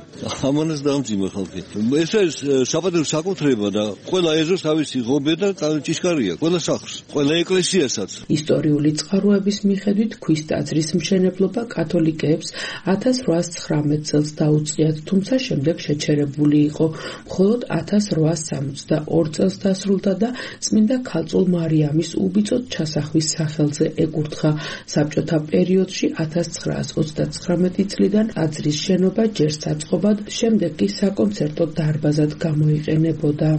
ამანაც დაამძიმა ხალხი. ეს არის საპატიო საკუთრება და ყველა ეზოს თავისი ღობე და ჭიშკარია, ყველა სახლს, ყველა ეკლესიას როდესაც ისტორიული წყაროების მიხედვით ქვის ტაძრის მშენებლობა კათოლიკეებს ათას რვაას ცხრამეტ წელს დაუწყიათ, თუმცა შემდეგ შეჩერებული იყო. მხოლოდ ათას რვაას სამოცდაორ წელს დასრულდა და წმინდა ქალწულ მარიამის უბიწოდ ჩასახვის სახელზე ეკურთხა. საბჭოთა პერიოდში ათას ცხრაას ოცდაცხრამეტი წლიდან ტაძრის შენობა ჯერ საწყობად, შემდეგ კი საკონცერტო დარბაზად გამოიყენებოდა.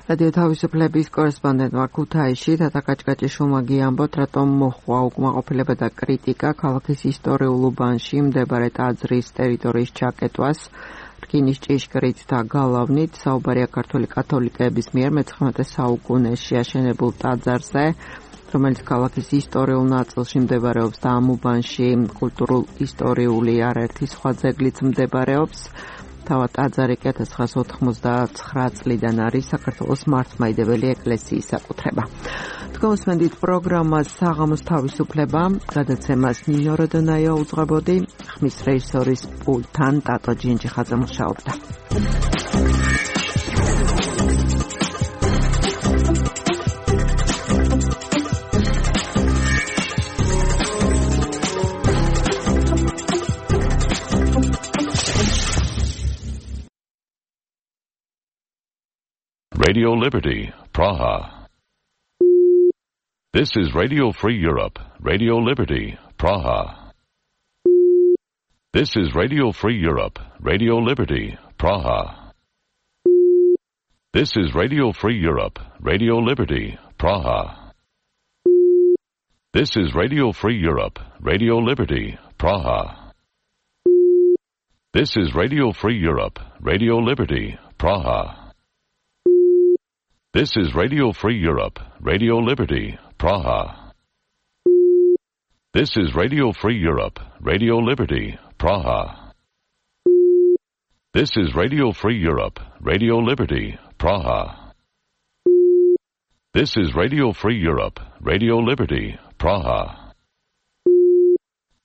რადიო თავისუფლების კორესპონდენტმა ქუთაისში თათა კაჭკაჭიშვილმა გიამბოთ, რატომ მოჰყვა უკმაყოფილება და კრიტიკა ქალაქის ისტორიულ უბანში მდებარე ტაძრის ტერიტორიის ჩაკეტვას. რკინის ჭიშკრით და გალავნით საუბარია ქართული კათოლიკეების მიერ მეცხრამეტე საუკუნეში აშენებულ ტაძარზე, რომელიც ქალაქის ისტორიულ ნაწილში მდებარეობს და ამ უბანში კულტურულ-ისტორიული არაერთი სხვა ძეგლიც მდებარეობს. თავად ტაძარი კი ათას ცხრაას ოთხმოცდაცხრა წლიდან არის საქართველოს მართლმადიდებელი ეკლესიის საკუთრება. თქვენსმენდით პროგრამას საღამოს თავისუფლება, გადაცემას ნინო როდონაია უძღვებოდი, ხმის რეჟისორის პულტთან ტატო ჯინჯიხაძე მუშაობდა. Radio Liberty, Praha. This is Radio Free Europe, Radio Liberty, Praha. This is Radio Free Europe, Radio Liberty, Praha. This is Radio Free Europe, Radio Liberty, Praha. This is Radio Free Europe, Radio Liberty, Praha. This is Radio Free Europe, Radio Liberty, Praha. This is Radio Free Europe, Radio Liberty, Praha. This is Radio Free Europe, Radio Liberty, Praha. This is Radio Free Europe, Radio Liberty, Praha.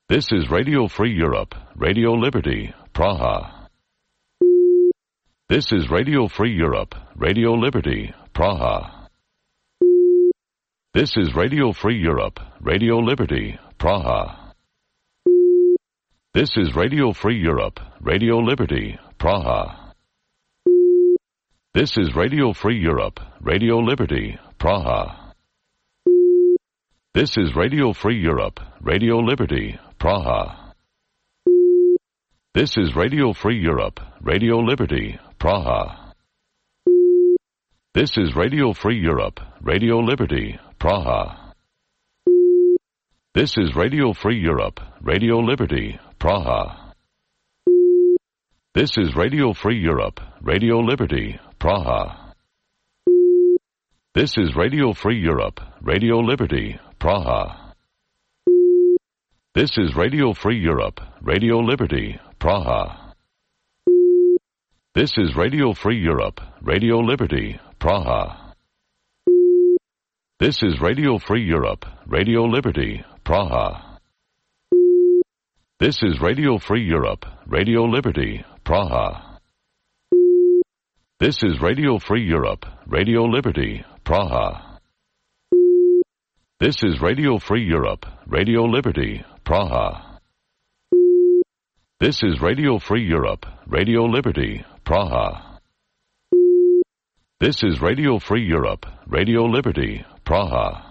This is Radio Free Europe, Radio Liberty, Praha. This is Radio Free Europe, Radio Liberty, Praha. This is Radio Free Europe, Radio Liberty, Praha. This is Radio Free Europe, Radio Liberty, Praha. This is Radio Free Europe, Radio Liberty, Praha. This is Radio Free Europe, Radio Liberty, Praha. This is Radio Free Europe, Radio Liberty, Praha. This is Radio Free Europe, Radio Liberty, Praha. This is Radio Free Europe, Radio Liberty, Praha. This is Radio Free Europe, Radio Liberty, Praha. This is Radio Free Europe, Radio Liberty, Praha. This is Radio Free Europe, Radio Liberty, Praha. This is Radio Free Europe, Radio Liberty, Praha. This is Radio Free Europe, Radio Liberty, Praha. This is Radio Free Europe, Radio Liberty, Praha. This is Radio Free Europe, Radio Liberty, Praha. This is Radio Free Europe, Radio Liberty, Praha. This is Radio Free Europe, Radio Liberty, Praha. This is Radio Free Europe, Radio Liberty, Praha.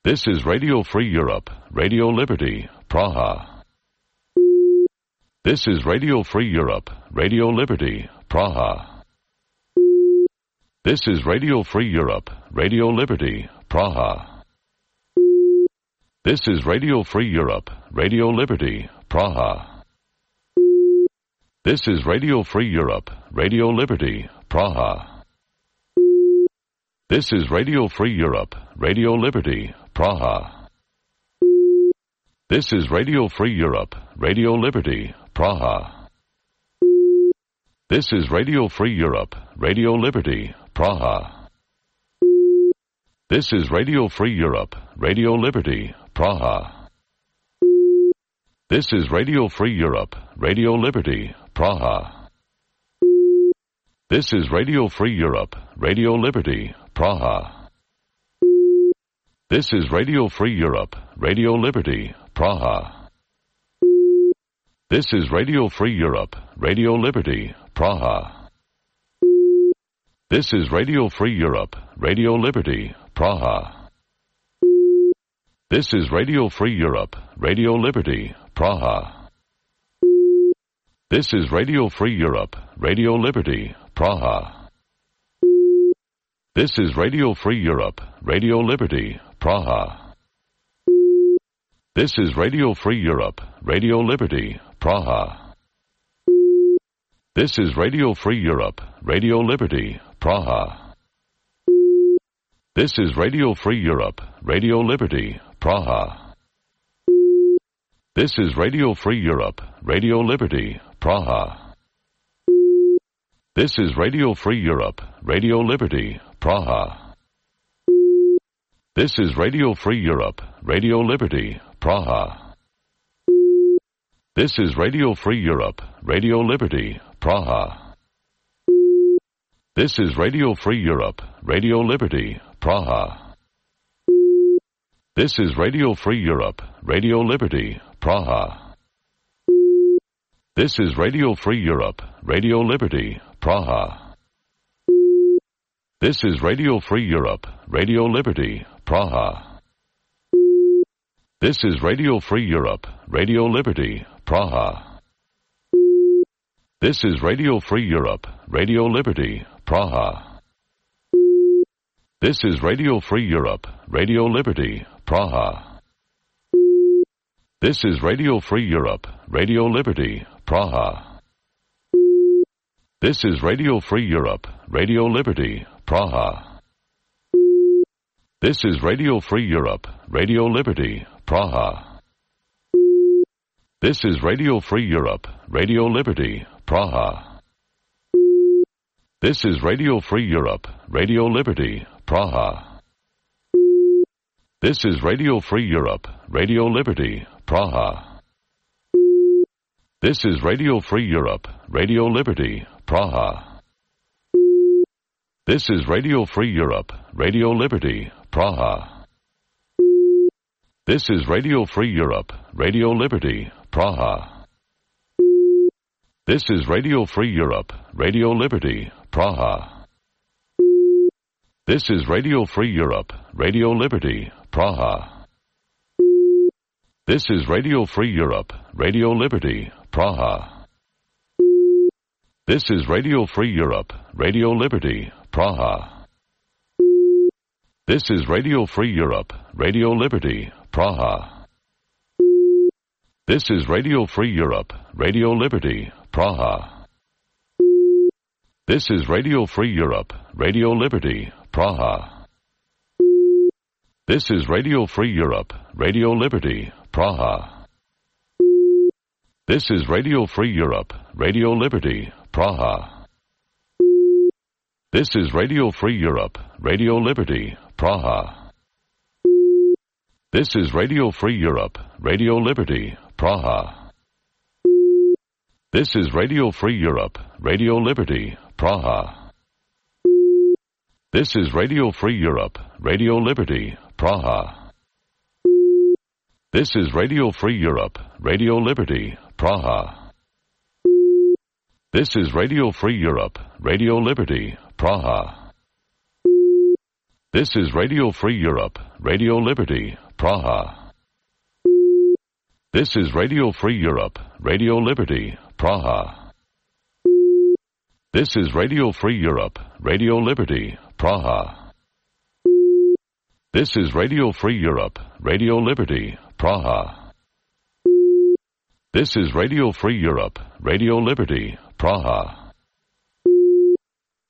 This is Radio Free Europe, Radio Liberty, Praha. This is Radio Free Europe, Radio Liberty, Praha. This is Radio Free Europe, Radio Liberty, Praha. This is Radio Free Europe, Radio Liberty, Praha. This is Radio Free Europe, Radio Liberty, Praha. This is Radio Free Europe, Radio Liberty, Praha. This is Radio Free Europe, Radio Liberty, Praha. This is Radio Free Europe, Radio Liberty, Praha. This is Radio Free Europe, Radio Liberty, Praha. This is Radio Free Europe, Radio Liberty, Praha. This is Radio Free Europe, Radio Liberty, Praha. This is Radio Free Europe, Radio Liberty, Praha. This is Radio Free Europe, Radio Liberty, Praha. This is Radio Free Europe, Radio Liberty, Praha. This is Radio Free Europe, Radio Liberty, Praha. This is Radio Free Europe, Radio Liberty, Praha. This is Radio Free Europe, Radio Liberty, Praha. This is Radio Free Europe, Radio Liberty, Praha. This is Radio Free Europe, Radio Liberty, Praha. This is Radio Free Europe, Radio Liberty, Praha. This is Radio Free Europe, Radio Liberty, Praha. This is Radio Free Europe, Radio Liberty, Praha. This is Radio Free Europe, Radio Liberty, Praha. This is Radio Free Europe, Radio Liberty, Praha. This is Radio Free Europe, Radio Liberty, Praha. This is Radio Free Europe, Radio Liberty, Praha. This is Radio Free Europe, Radio Liberty, Praha. This is Radio Free Europe, Radio Liberty, Praha. This is Radio Free Europe, Radio Liberty, Praha. This is Radio Free Europe, Radio Liberty, Praha. This is Radio Free Europe, Radio Liberty, Praha. This is Radio Free Europe, Radio Liberty, Praha. This is Radio Free Europe, Radio Liberty, Praha. This is Radio Free Europe, Radio Liberty, Praha. This is Radio Free Europe, Radio Liberty, Praha. This is Radio Free Europe, Radio Liberty, Praha. This is Radio Free Europe, Radio Liberty, Praha. This is Radio Free Europe, Radio Liberty, Praha. This is Radio Free Europe, Radio Liberty, Praha. This is Radio Free Europe, Radio Liberty, Praha. This is Radio Free Europe, Radio Liberty, Praha. This is Radio Free Europe, Radio Liberty, Praha. This is Radio Free Europe, Radio Liberty, Praha. This is Radio Free Europe, Radio Liberty, Praha. This is Radio Free Europe, Radio Liberty, Praha. This is Radio Free Europe, Radio Liberty, Praha. This is Radio Free Europe, Radio Liberty, Praha. This is Radio Free Europe, Radio Liberty, Praha. This is Radio Free Europe, Radio Liberty, Praha. This is Radio Free Europe, Radio Liberty, Praha. This is Radio Free Europe, Radio Liberty, Praha. This is Radio Free Europe, Radio Liberty, Praha. This is Radio Free Europe, Radio Liberty, Praha. This is Radio Free Europe, Radio Liberty, Praha. This is Radio Free Europe, Radio Liberty, Praha. This is Radio Free Europe, Radio Liberty, Praha. This is Radio Free Europe, Radio Liberty, Praha. This is Radio Free Europe, Radio Liberty, Praha. This is Radio Free Europe, Radio Liberty, Praha. This is Radio Free Europe, Radio Liberty, Praha. This is Radio Free Europe, Radio Liberty, Praha.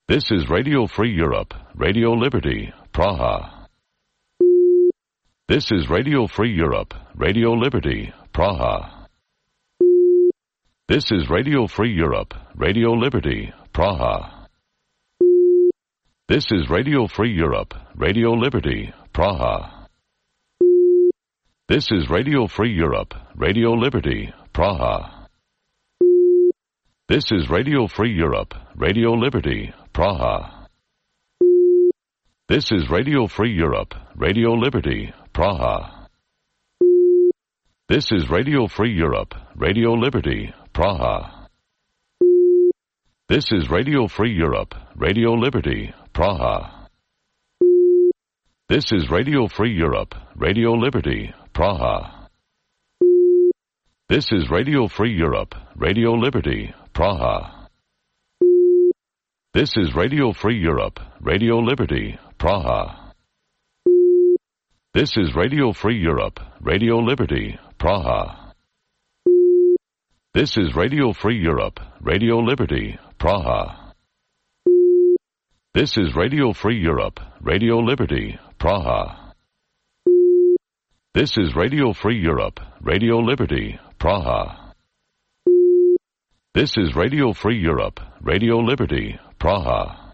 This is Radio Free Europe, Radio Liberty, Praha. This is Radio Free Europe, Radio Liberty, Praha. This is Radio Free Europe, Radio Liberty, Praha. This is Radio Free Europe, Radio Liberty, Praha. This is Radio Free Europe, Radio Liberty, Praha. This is Radio Free Europe, Radio Liberty, Praha. This is Radio Free Europe, Radio Liberty, Praha. This is Radio Free Europe, Radio Liberty, Praha. This is Radio Free Europe, Radio Liberty, Praha. This is Radio Free Europe, Radio Liberty, Praha. This is Radio Free Europe, Radio Liberty, Praha. This is Radio Free Europe, Radio Liberty, Praha. This is Radio Free Europe, Radio Liberty, Praha. This is Radio Free Europe, Radio Liberty, Praha. This is Radio Free Europe, Radio Liberty, Praha. This is Radio Free Europe, Radio Liberty, Praha. This is Radio Free Europe, Radio Liberty, Praha.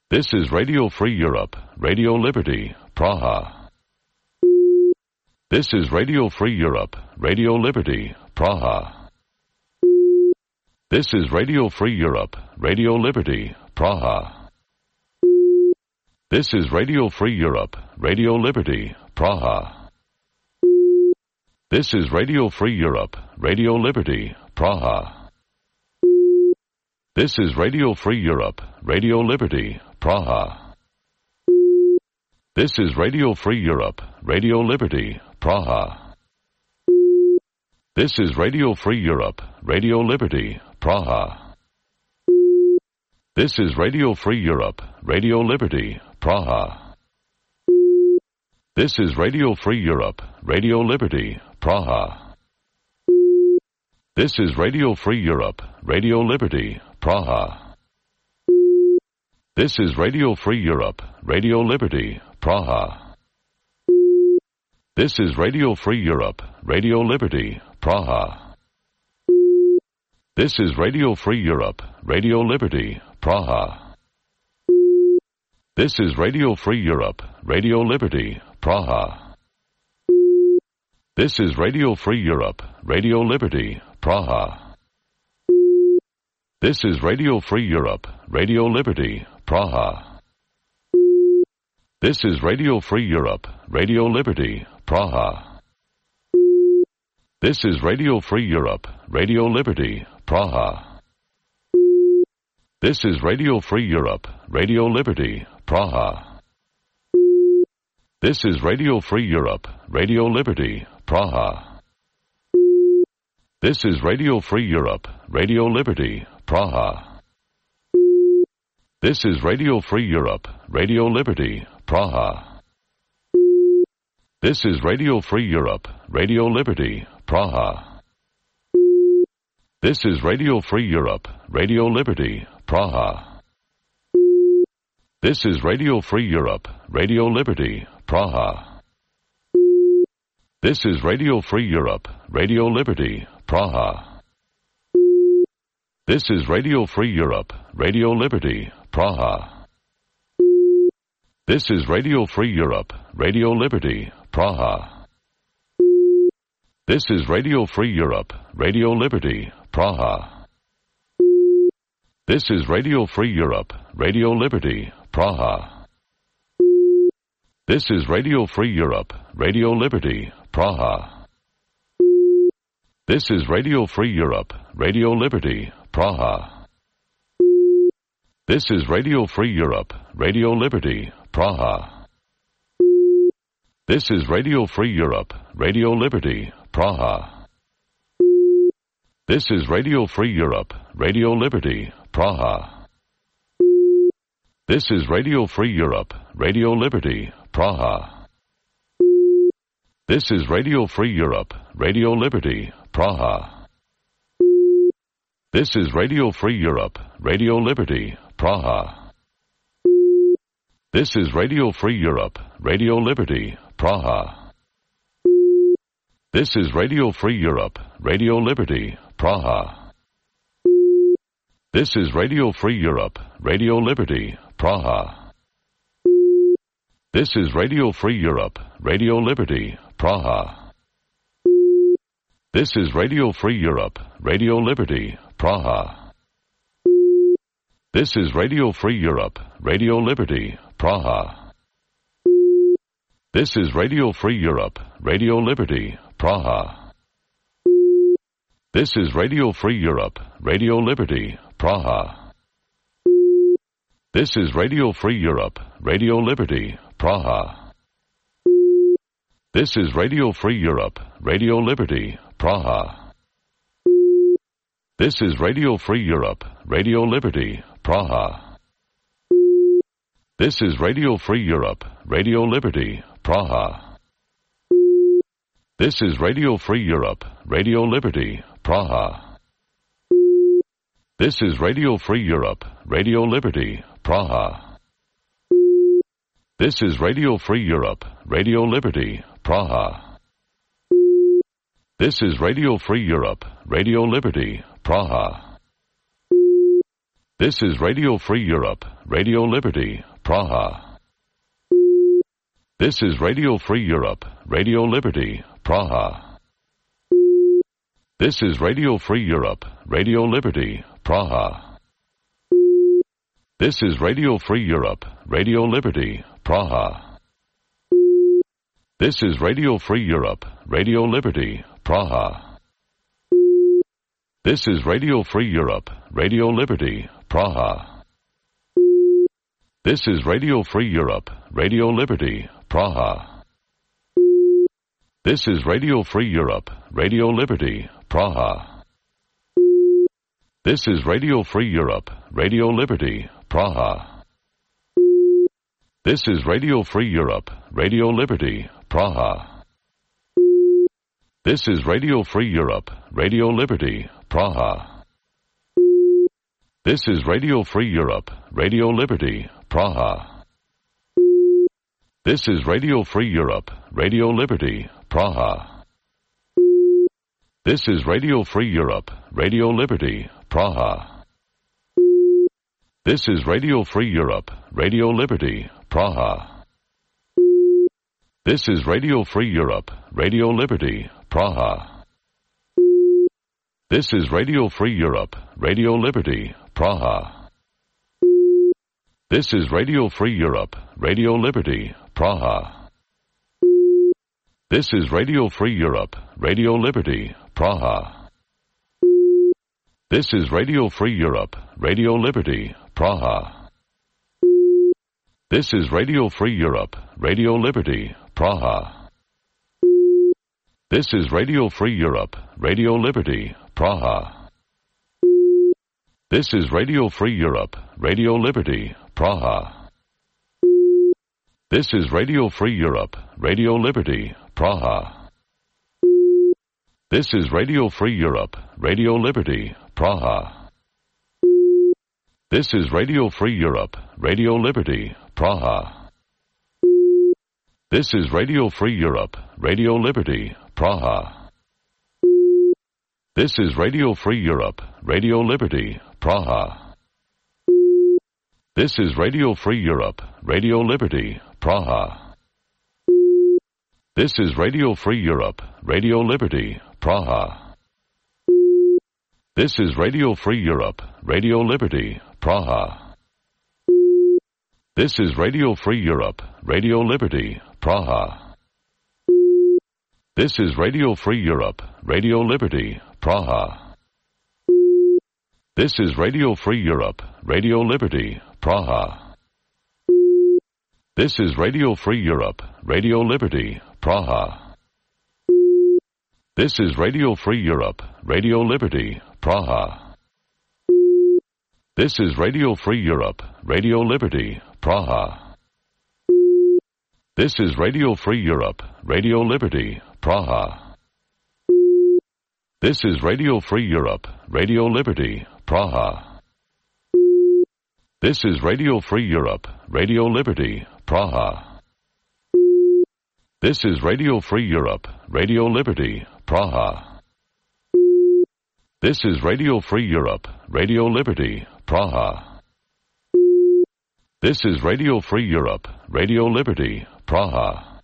This is Radio Free Europe, Radio Liberty, Praha. This is Radio Free Europe, Radio Liberty, Praha. This is Radio Free Europe, Radio Liberty, Praha. This is Radio Free Europe, Radio Liberty, Praha. This is Radio Free Europe, Radio Liberty, Praha. This is Radio Free Europe, Radio Liberty, Praha. This is Radio Free Europe, Radio Liberty, Praha. This is Radio Free Europe, Radio Liberty, Praha. This is Radio Free Europe, Radio Liberty, Praha. This is Radio Free Europe, Radio Liberty, Praha. This is Radio Free Europe, Radio Liberty, Praha. This is Radio Free Europe, Radio Liberty, Praha. This is Radio Free Europe, Radio Liberty, Praha. This is Radio Free Europe, Radio Liberty, Praha. This is Radio Free Europe, Radio Liberty, Praha. This is Radio Free Europe, Radio Liberty, Praha. This is Radio Free Europe, Radio Liberty, Praha. This is Radio Free Europe, Radio Liberty, Praha. This is Radio Free Europe, Radio Liberty, Praha. This is Radio Free Europe, Radio Liberty, Praha. This is Radio Free Europe, Radio Liberty, Praha. This is Radio Free Europe, Radio Liberty, Praha. This is Radio Free Europe, Radio Liberty, Praha. This is Radio Free Europe, Radio Liberty, Praha. This is Radio Free Europe, Radio Liberty, Praha. This is Radio Free Europe, Radio Liberty, Praha. This is Radio Free Europe, Radio Liberty, Praha. This is Radio Free Europe, Radio Liberty, Praha. This is Radio Free Europe, Radio Liberty, Praha. This is Radio Free Europe, Radio Liberty, Praha. This is Radio Free Europe, Radio Liberty, Praha. This is Radio Free Europe, Radio Liberty, Praha. This is Radio Free Europe, Radio Liberty, Praha. This is Radio Free Europe, Radio Liberty, Praha. This is Radio Free Europe, Radio Liberty, Praha. This is Radio Free Europe, Radio Liberty, Praha. This is Radio Free Europe, Radio Liberty, Praha. This is Radio Free Europe, Radio Liberty, Praha. This is Radio Free Europe, Radio Liberty, Praha. This is Radio Free Europe, Radio Liberty, Praha. This is Radio Free Europe, Radio Liberty, Praha. This is Radio Free Europe, Radio Liberty, Praha. This is Radio Free Europe, Radio Liberty, Praha. This is Radio Free Europe, Radio Liberty, Praha. This is Radio Free Europe, Radio Liberty, Praha. This is Radio Free Europe, Radio Liberty, Praha. This is Radio Free Europe, Radio Liberty, Praha. This is Radio Free Europe, Radio Liberty, Praha. This is Radio Free Europe, Radio Liberty, Praha. This is Radio Free Europe, Radio Liberty, Praha. This is Radio Free Europe, Radio Liberty, Praha. This is Radio Free Europe, Radio Liberty, Praha. This is Radio Free Europe, Radio Liberty, Praha. This is Radio Free Europe, Radio Liberty, Praha. This is Radio Free Europe, Radio Liberty, Praha. This is Radio Free Europe, Radio Liberty, Praha. This is Radio Free Europe, Radio Liberty, Praha. This is Radio Free Europe, Radio Liberty, Praha. This is Radio Free Europe, Radio Liberty, Praha. This is Radio Free Europe, Radio Liberty, Praha. This is Radio Free Europe, Radio Liberty, Praha. This is Radio Free Europe, Radio Liberty, Praha. This is Radio Free Europe, Radio Liberty, Praha. This is Radio Free Europe, Radio Liberty, Praha. This is Radio Free Europe, Radio Liberty, Praha. This is Radio Free Europe, Radio Liberty, Praha. This is Radio Free Europe, Radio Liberty, Praha. This is Radio Free Europe, Radio Liberty, Praha. This is Radio Free Europe, Radio Liberty, Praha. This is Radio Free Europe, Radio Liberty, Praha. This is Radio Free Europe, Radio Liberty, Praha. This is Radio Free Europe, Radio Liberty, Praha. This is Radio Free Europe, Radio Liberty, Praha. This is Radio Free Europe, Radio Liberty, Praha. This is Radio Free Europe, Radio Liberty, Praha. This is Radio Free Europe, Radio Liberty, Praha. This is Radio Free Europe, Radio Liberty, Praha. This is Radio Free Europe, Radio Liberty, Praha. This is Radio Free Europe, Radio Liberty, Praha. This is Radio Free Europe, Radio Liberty, Praha. This is Radio Free Europe, Radio Liberty, Praha. This is Radio Free Europe, Radio Liberty, Praha. This is Radio Free Europe, Radio Liberty, Praha. This is Radio Free Europe, Radio Liberty, Praha. This is Radio Free Europe, Radio Liberty, Praha. This is Radio Free Europe, Radio Liberty, Praha. This is Radio Free Europe, Radio Liberty, Praha. This is Radio Free Europe, Radio Liberty, Praha. This is Radio Free Europe, Radio Liberty, Praha. This is Radio Free Europe, Radio Liberty, Praha. This is Radio Free Europe, Radio Liberty, Praha. This is Radio Free Europe, Radio Liberty, Praha. This is Radio Free Europe, Radio Liberty, Praha. This is Radio Free Europe, Radio Liberty, Praha. This is Radio Free Europe, Radio Liberty, Praha. This is Radio Free Europe, Radio Liberty, Praha. This is Radio Free Europe, Radio Liberty, Praha. This is Radio Free Europe, Radio Liberty, Praha.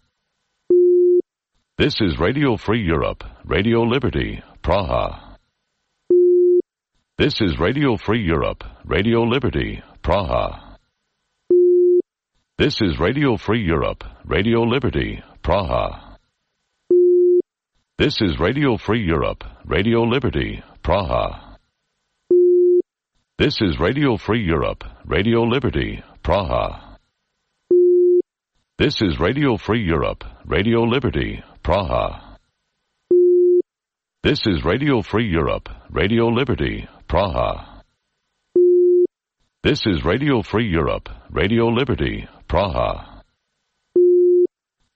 This is Radio Free Europe, Radio Liberty, Praha. This is Radio Free Europe, Radio Liberty, Praha. This is Radio Free Europe, Radio Liberty, Praha. This is Radio Free Europe, Radio Liberty, Praha. This is Radio Free Europe, Radio Liberty, Praha. This is Radio Free Europe, Radio Liberty, Praha. This is Radio Free Europe, Radio Liberty, Praha. This is Radio Free Europe, Radio Liberty, Praha.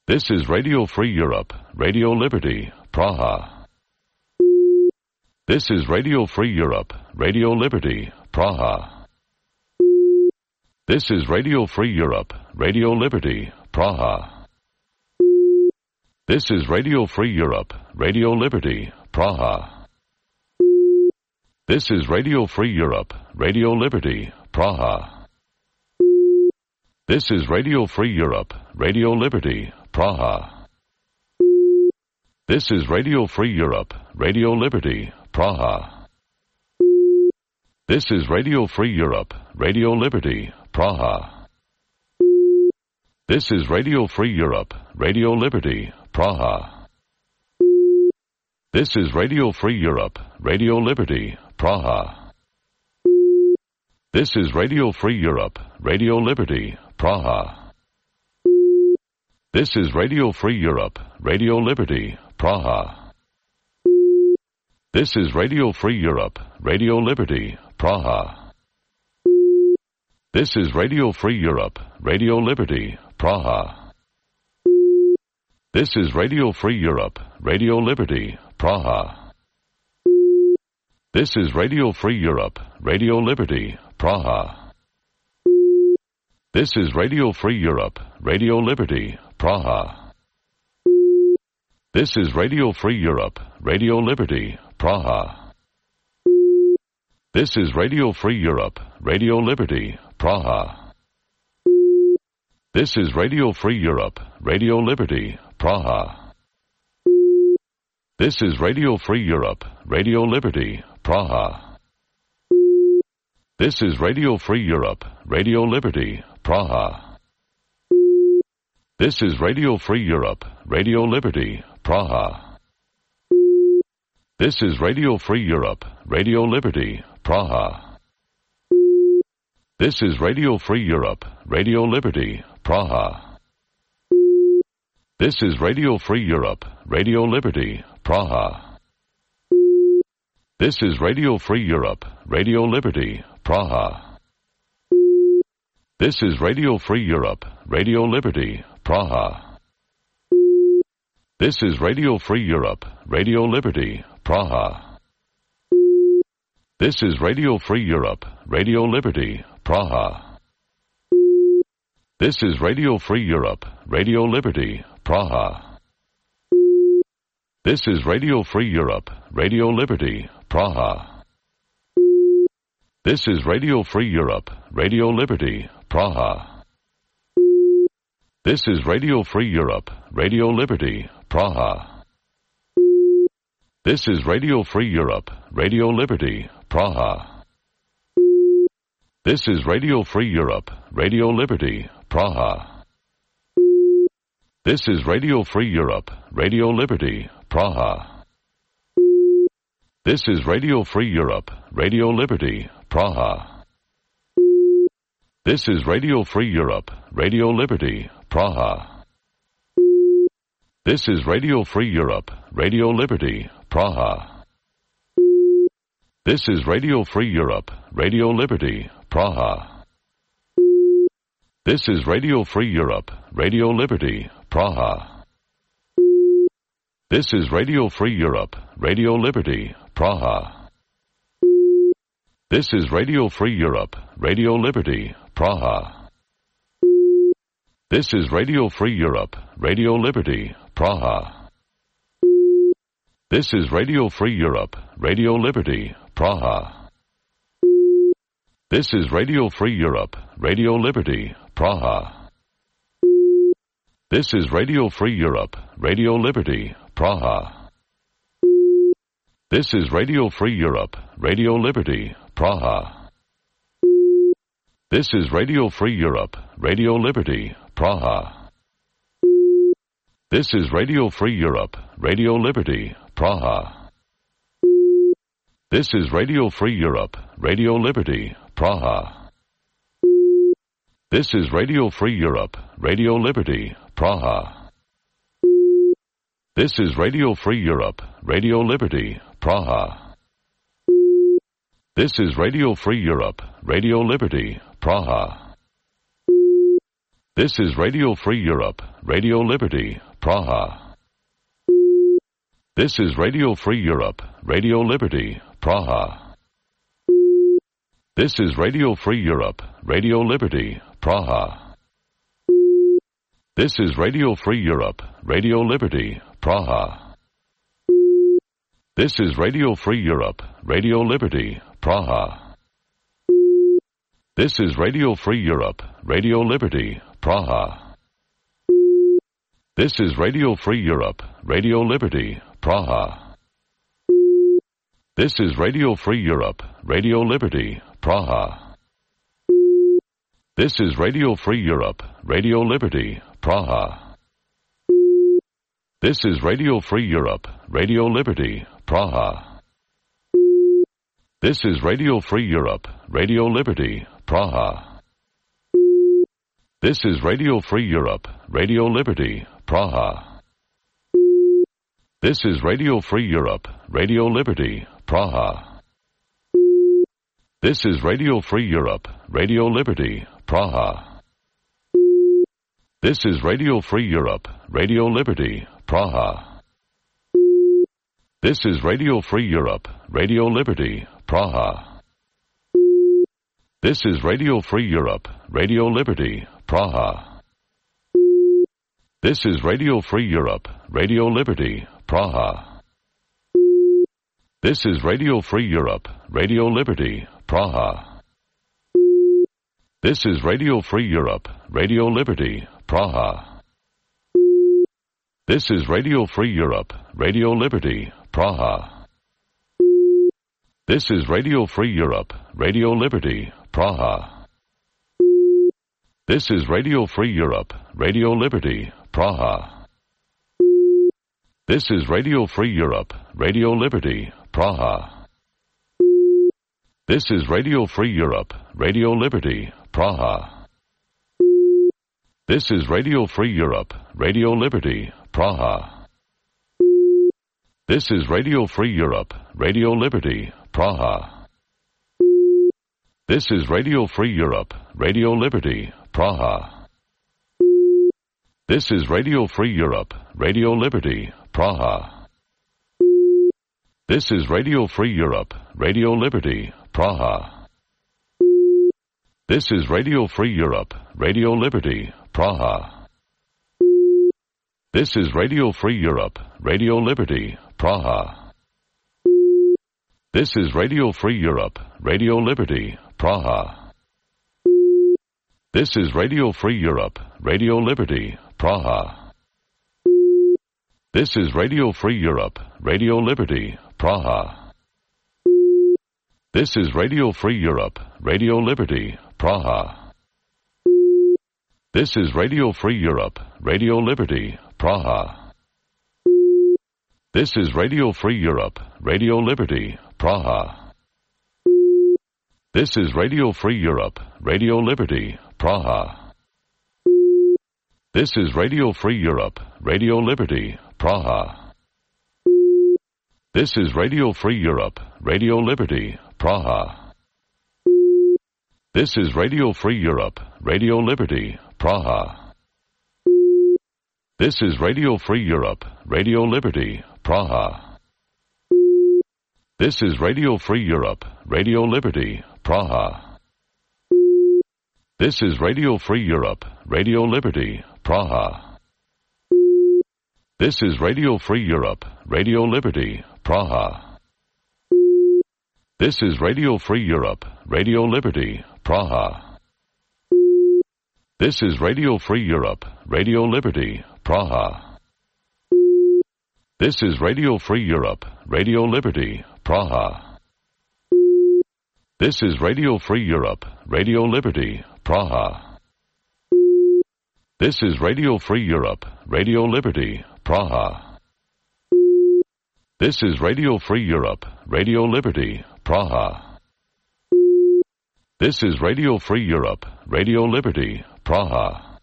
This is Radio Free Europe, Radio Liberty, Praha. This is Radio Free Europe, Radio Liberty, Praha. This is Radio Free Europe, Radio Liberty, Praha. This is Radio Free Europe, Radio Liberty, Praha. This is Radio Free Europe, Radio Liberty, Praha. This is Radio Free Europe, Radio Liberty, Praha. This is Radio Free Europe, Radio Liberty, Praha. This is Radio Free Europe, Radio Liberty, Praha. This is Radio Free Europe, Radio Liberty, Praha. This is Radio Free Europe, Radio Liberty, Praha. This is Radio Free Europe, Radio Liberty, Praha. This is Radio Free Europe, Radio Liberty, Praha. This is Radio Free Europe, Radio Liberty, Praha. This is Radio Free Europe, Radio Liberty, Praha. This is Radio Free Europe, Radio Liberty, Praha. This is Radio Free Europe, Radio Liberty, Praha. This is Radio Free Europe, Radio Liberty, Praha. This is Radio Free Europe, Radio Liberty, Praha. This is Radio Free Europe, Radio Liberty, Praha. This is Radio Free Europe, Radio Liberty, Praha. This is Radio Free Europe, Radio Liberty, Praha. This is Radio Free Europe, Radio Liberty, Praha. This is Radio Free Europe, Radio Liberty, Praha. This is Radio Free Europe, Radio Liberty, Praha. This is Radio Free Europe, Radio Liberty, Praha. This is Radio Free Europe, Radio Liberty, Praha. This is Radio Free Europe, Radio Liberty, Praha. This is Radio Free Europe, Radio Liberty, Praha. This is Radio Free Europe, Radio Liberty, Praha. This is Radio Free Europe, Radio Liberty, Praha. This is Radio Free Europe, Radio Liberty, Praha. This is Radio Free Europe, Radio Liberty, Praha. This is Radio Free Europe, Radio Liberty, Praha. This is Radio Free Europe, Radio Liberty, Praha. This is Radio Free Europe, Radio Liberty, Praha. This is Radio Free Europe, Radio Liberty, Praha. This is Radio Free Europe, Radio Liberty, Praha. This is Radio Free Europe, Radio Liberty, Praha. This is Radio Free Europe, Radio Liberty, Praha. This is Radio Free Europe, Radio Liberty, Praha. This is Radio Free Europe, Radio Liberty, Praha. This is Radio Free Europe, Radio Liberty, Praha. This is Radio Free Europe, Radio Liberty, Praha. This is Radio Free Europe, Radio Liberty, Praha. This is Radio Free Europe, Radio Liberty, Praha. This is Radio Free Europe, Radio Liberty, Praha. This is Radio Free Europe, Radio Liberty, Praha. This is Radio Free Europe, Radio Liberty, Praha. This is Radio Free Europe, Radio Liberty, Praha. This is Radio Free Europe, Radio Liberty, Praha. This is Radio Free Europe, Radio Liberty, Praha. This is Radio Free Europe, Radio Liberty, Praha. This is Radio Free Europe, Radio Liberty, Praha. This is Radio Free Europe, Radio Liberty, Praha. This is Radio Free Europe, Radio Liberty, Praha. This is Radio Free Europe, Radio Liberty, Praha. This is Radio Free Europe, Radio Liberty, Praha. This is Radio Free Europe, Radio Liberty, Praha. This is Radio Free Europe, Radio Liberty, Praha. This is Radio Free Europe, Radio Liberty, Praha. This is Radio Free Europe, Radio Liberty, Praha. This is Radio Free Europe, Radio Liberty, Praha. This is Radio Free Europe, Radio Liberty, Praha. This is Radio Free Europe, Radio Liberty, Praha. This is Radio Free Europe, Radio Liberty, Praha. This is Radio Free Europe, Radio Liberty, Praha. This is Radio Free Europe, Radio Liberty, Praha. This is Radio Free Europe, Radio Liberty, Praha. This is Radio Free Europe, Radio Liberty, Praha. This is Radio Free Europe, Radio Liberty, Praha. This is Radio Free Europe, Radio Liberty, Praha. This is Radio Free Europe, Radio Liberty, Praha. This is Radio Free Europe, Radio Liberty, Praha. This is Radio Free Europe, Radio Liberty, Praha. This is Radio Free Europe, Radio Liberty, Praha. This is Radio Free Europe, Radio Liberty, Praha. This is Radio Free Europe, Radio Liberty, Praha. This is Radio Free Europe, Radio Liberty, Praha. This is Radio Free Europe, Radio Liberty, Praha. This is Radio Free Europe, Radio Liberty, Praha. This is Radio Free Europe, Radio Liberty, Praha. This is Radio Free Europe, Radio Liberty, Praha. This is Radio Free Europe, Radio Liberty, Praha. This is Radio Free Europe, Radio Liberty, Praha. This is Radio Free Europe, Radio Liberty, Praha. This is Radio Free Europe, Radio Liberty, Praha. This is Radio Free Europe, Radio Liberty, Praha. This is Radio Free Europe, Radio Liberty, Praha. This is Radio Free Europe, Radio Liberty, Praha. This is Radio Free Europe, Radio Liberty, Praha. This is Radio Free Europe, Radio Liberty, Praha. This is Radio Free Europe, Radio Liberty, Praha. This is Radio Free Europe, Radio Liberty, Praha. This is Radio Free Europe, Radio Liberty, Praha. This is Radio Free Europe, Radio Liberty, Praha. This is Radio Free Europe, Radio Liberty, Praha. This is Radio Free Europe, Radio Liberty, Praha. This is Radio Free Europe, Radio Liberty, Praha. This is Radio Free Europe, Radio Liberty, Praha. This is Radio Free Europe, Radio Liberty, Praha. This is Radio Free Europe, Radio Liberty, Praha. This is Radio Free Europe, Radio Liberty, Praha. This is Radio Free Europe, Radio Liberty, Praha. This is Radio Free Europe, Radio Liberty, Praha. This is Radio Free Europe, Radio Liberty, Praha. This is Radio Free Europe, Radio Liberty, Praha. This is Radio Free Europe, Radio Liberty, Praha. This is Radio Free Europe, Radio Liberty, Praha.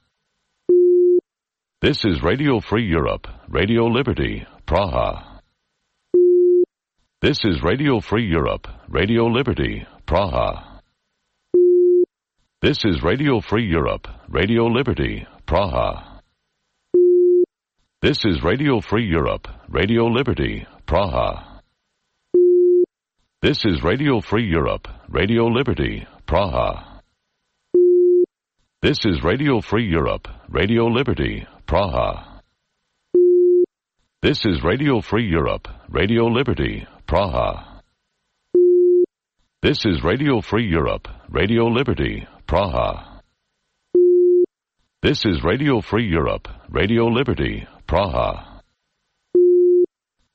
This is Radio Free Europe, Radio Liberty, Praha. This is Radio Free Europe, Radio Liberty, Praha. This is Radio Free Europe, Radio Liberty, Praha. This is Radio Free Europe, Radio Liberty, Praha. This is Radio Free Europe, Radio Liberty, Praha. This is Radio Free Europe, Radio Liberty, Praha. This is Radio Free Europe, Radio Liberty, Praha. This is Radio Free Europe, Radio Liberty, Praha. This is Radio Free Europe, Radio Liberty, Praha.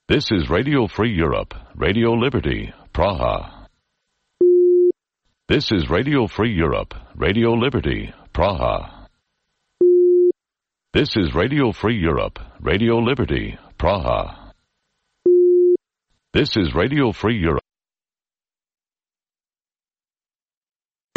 This is Radio Free Europe, Radio Liberty, Praha. This is Radio Free Europe, Radio Liberty, Praha. This is Radio Free Europe, Radio Liberty, Praha. This is Radio Free Europe.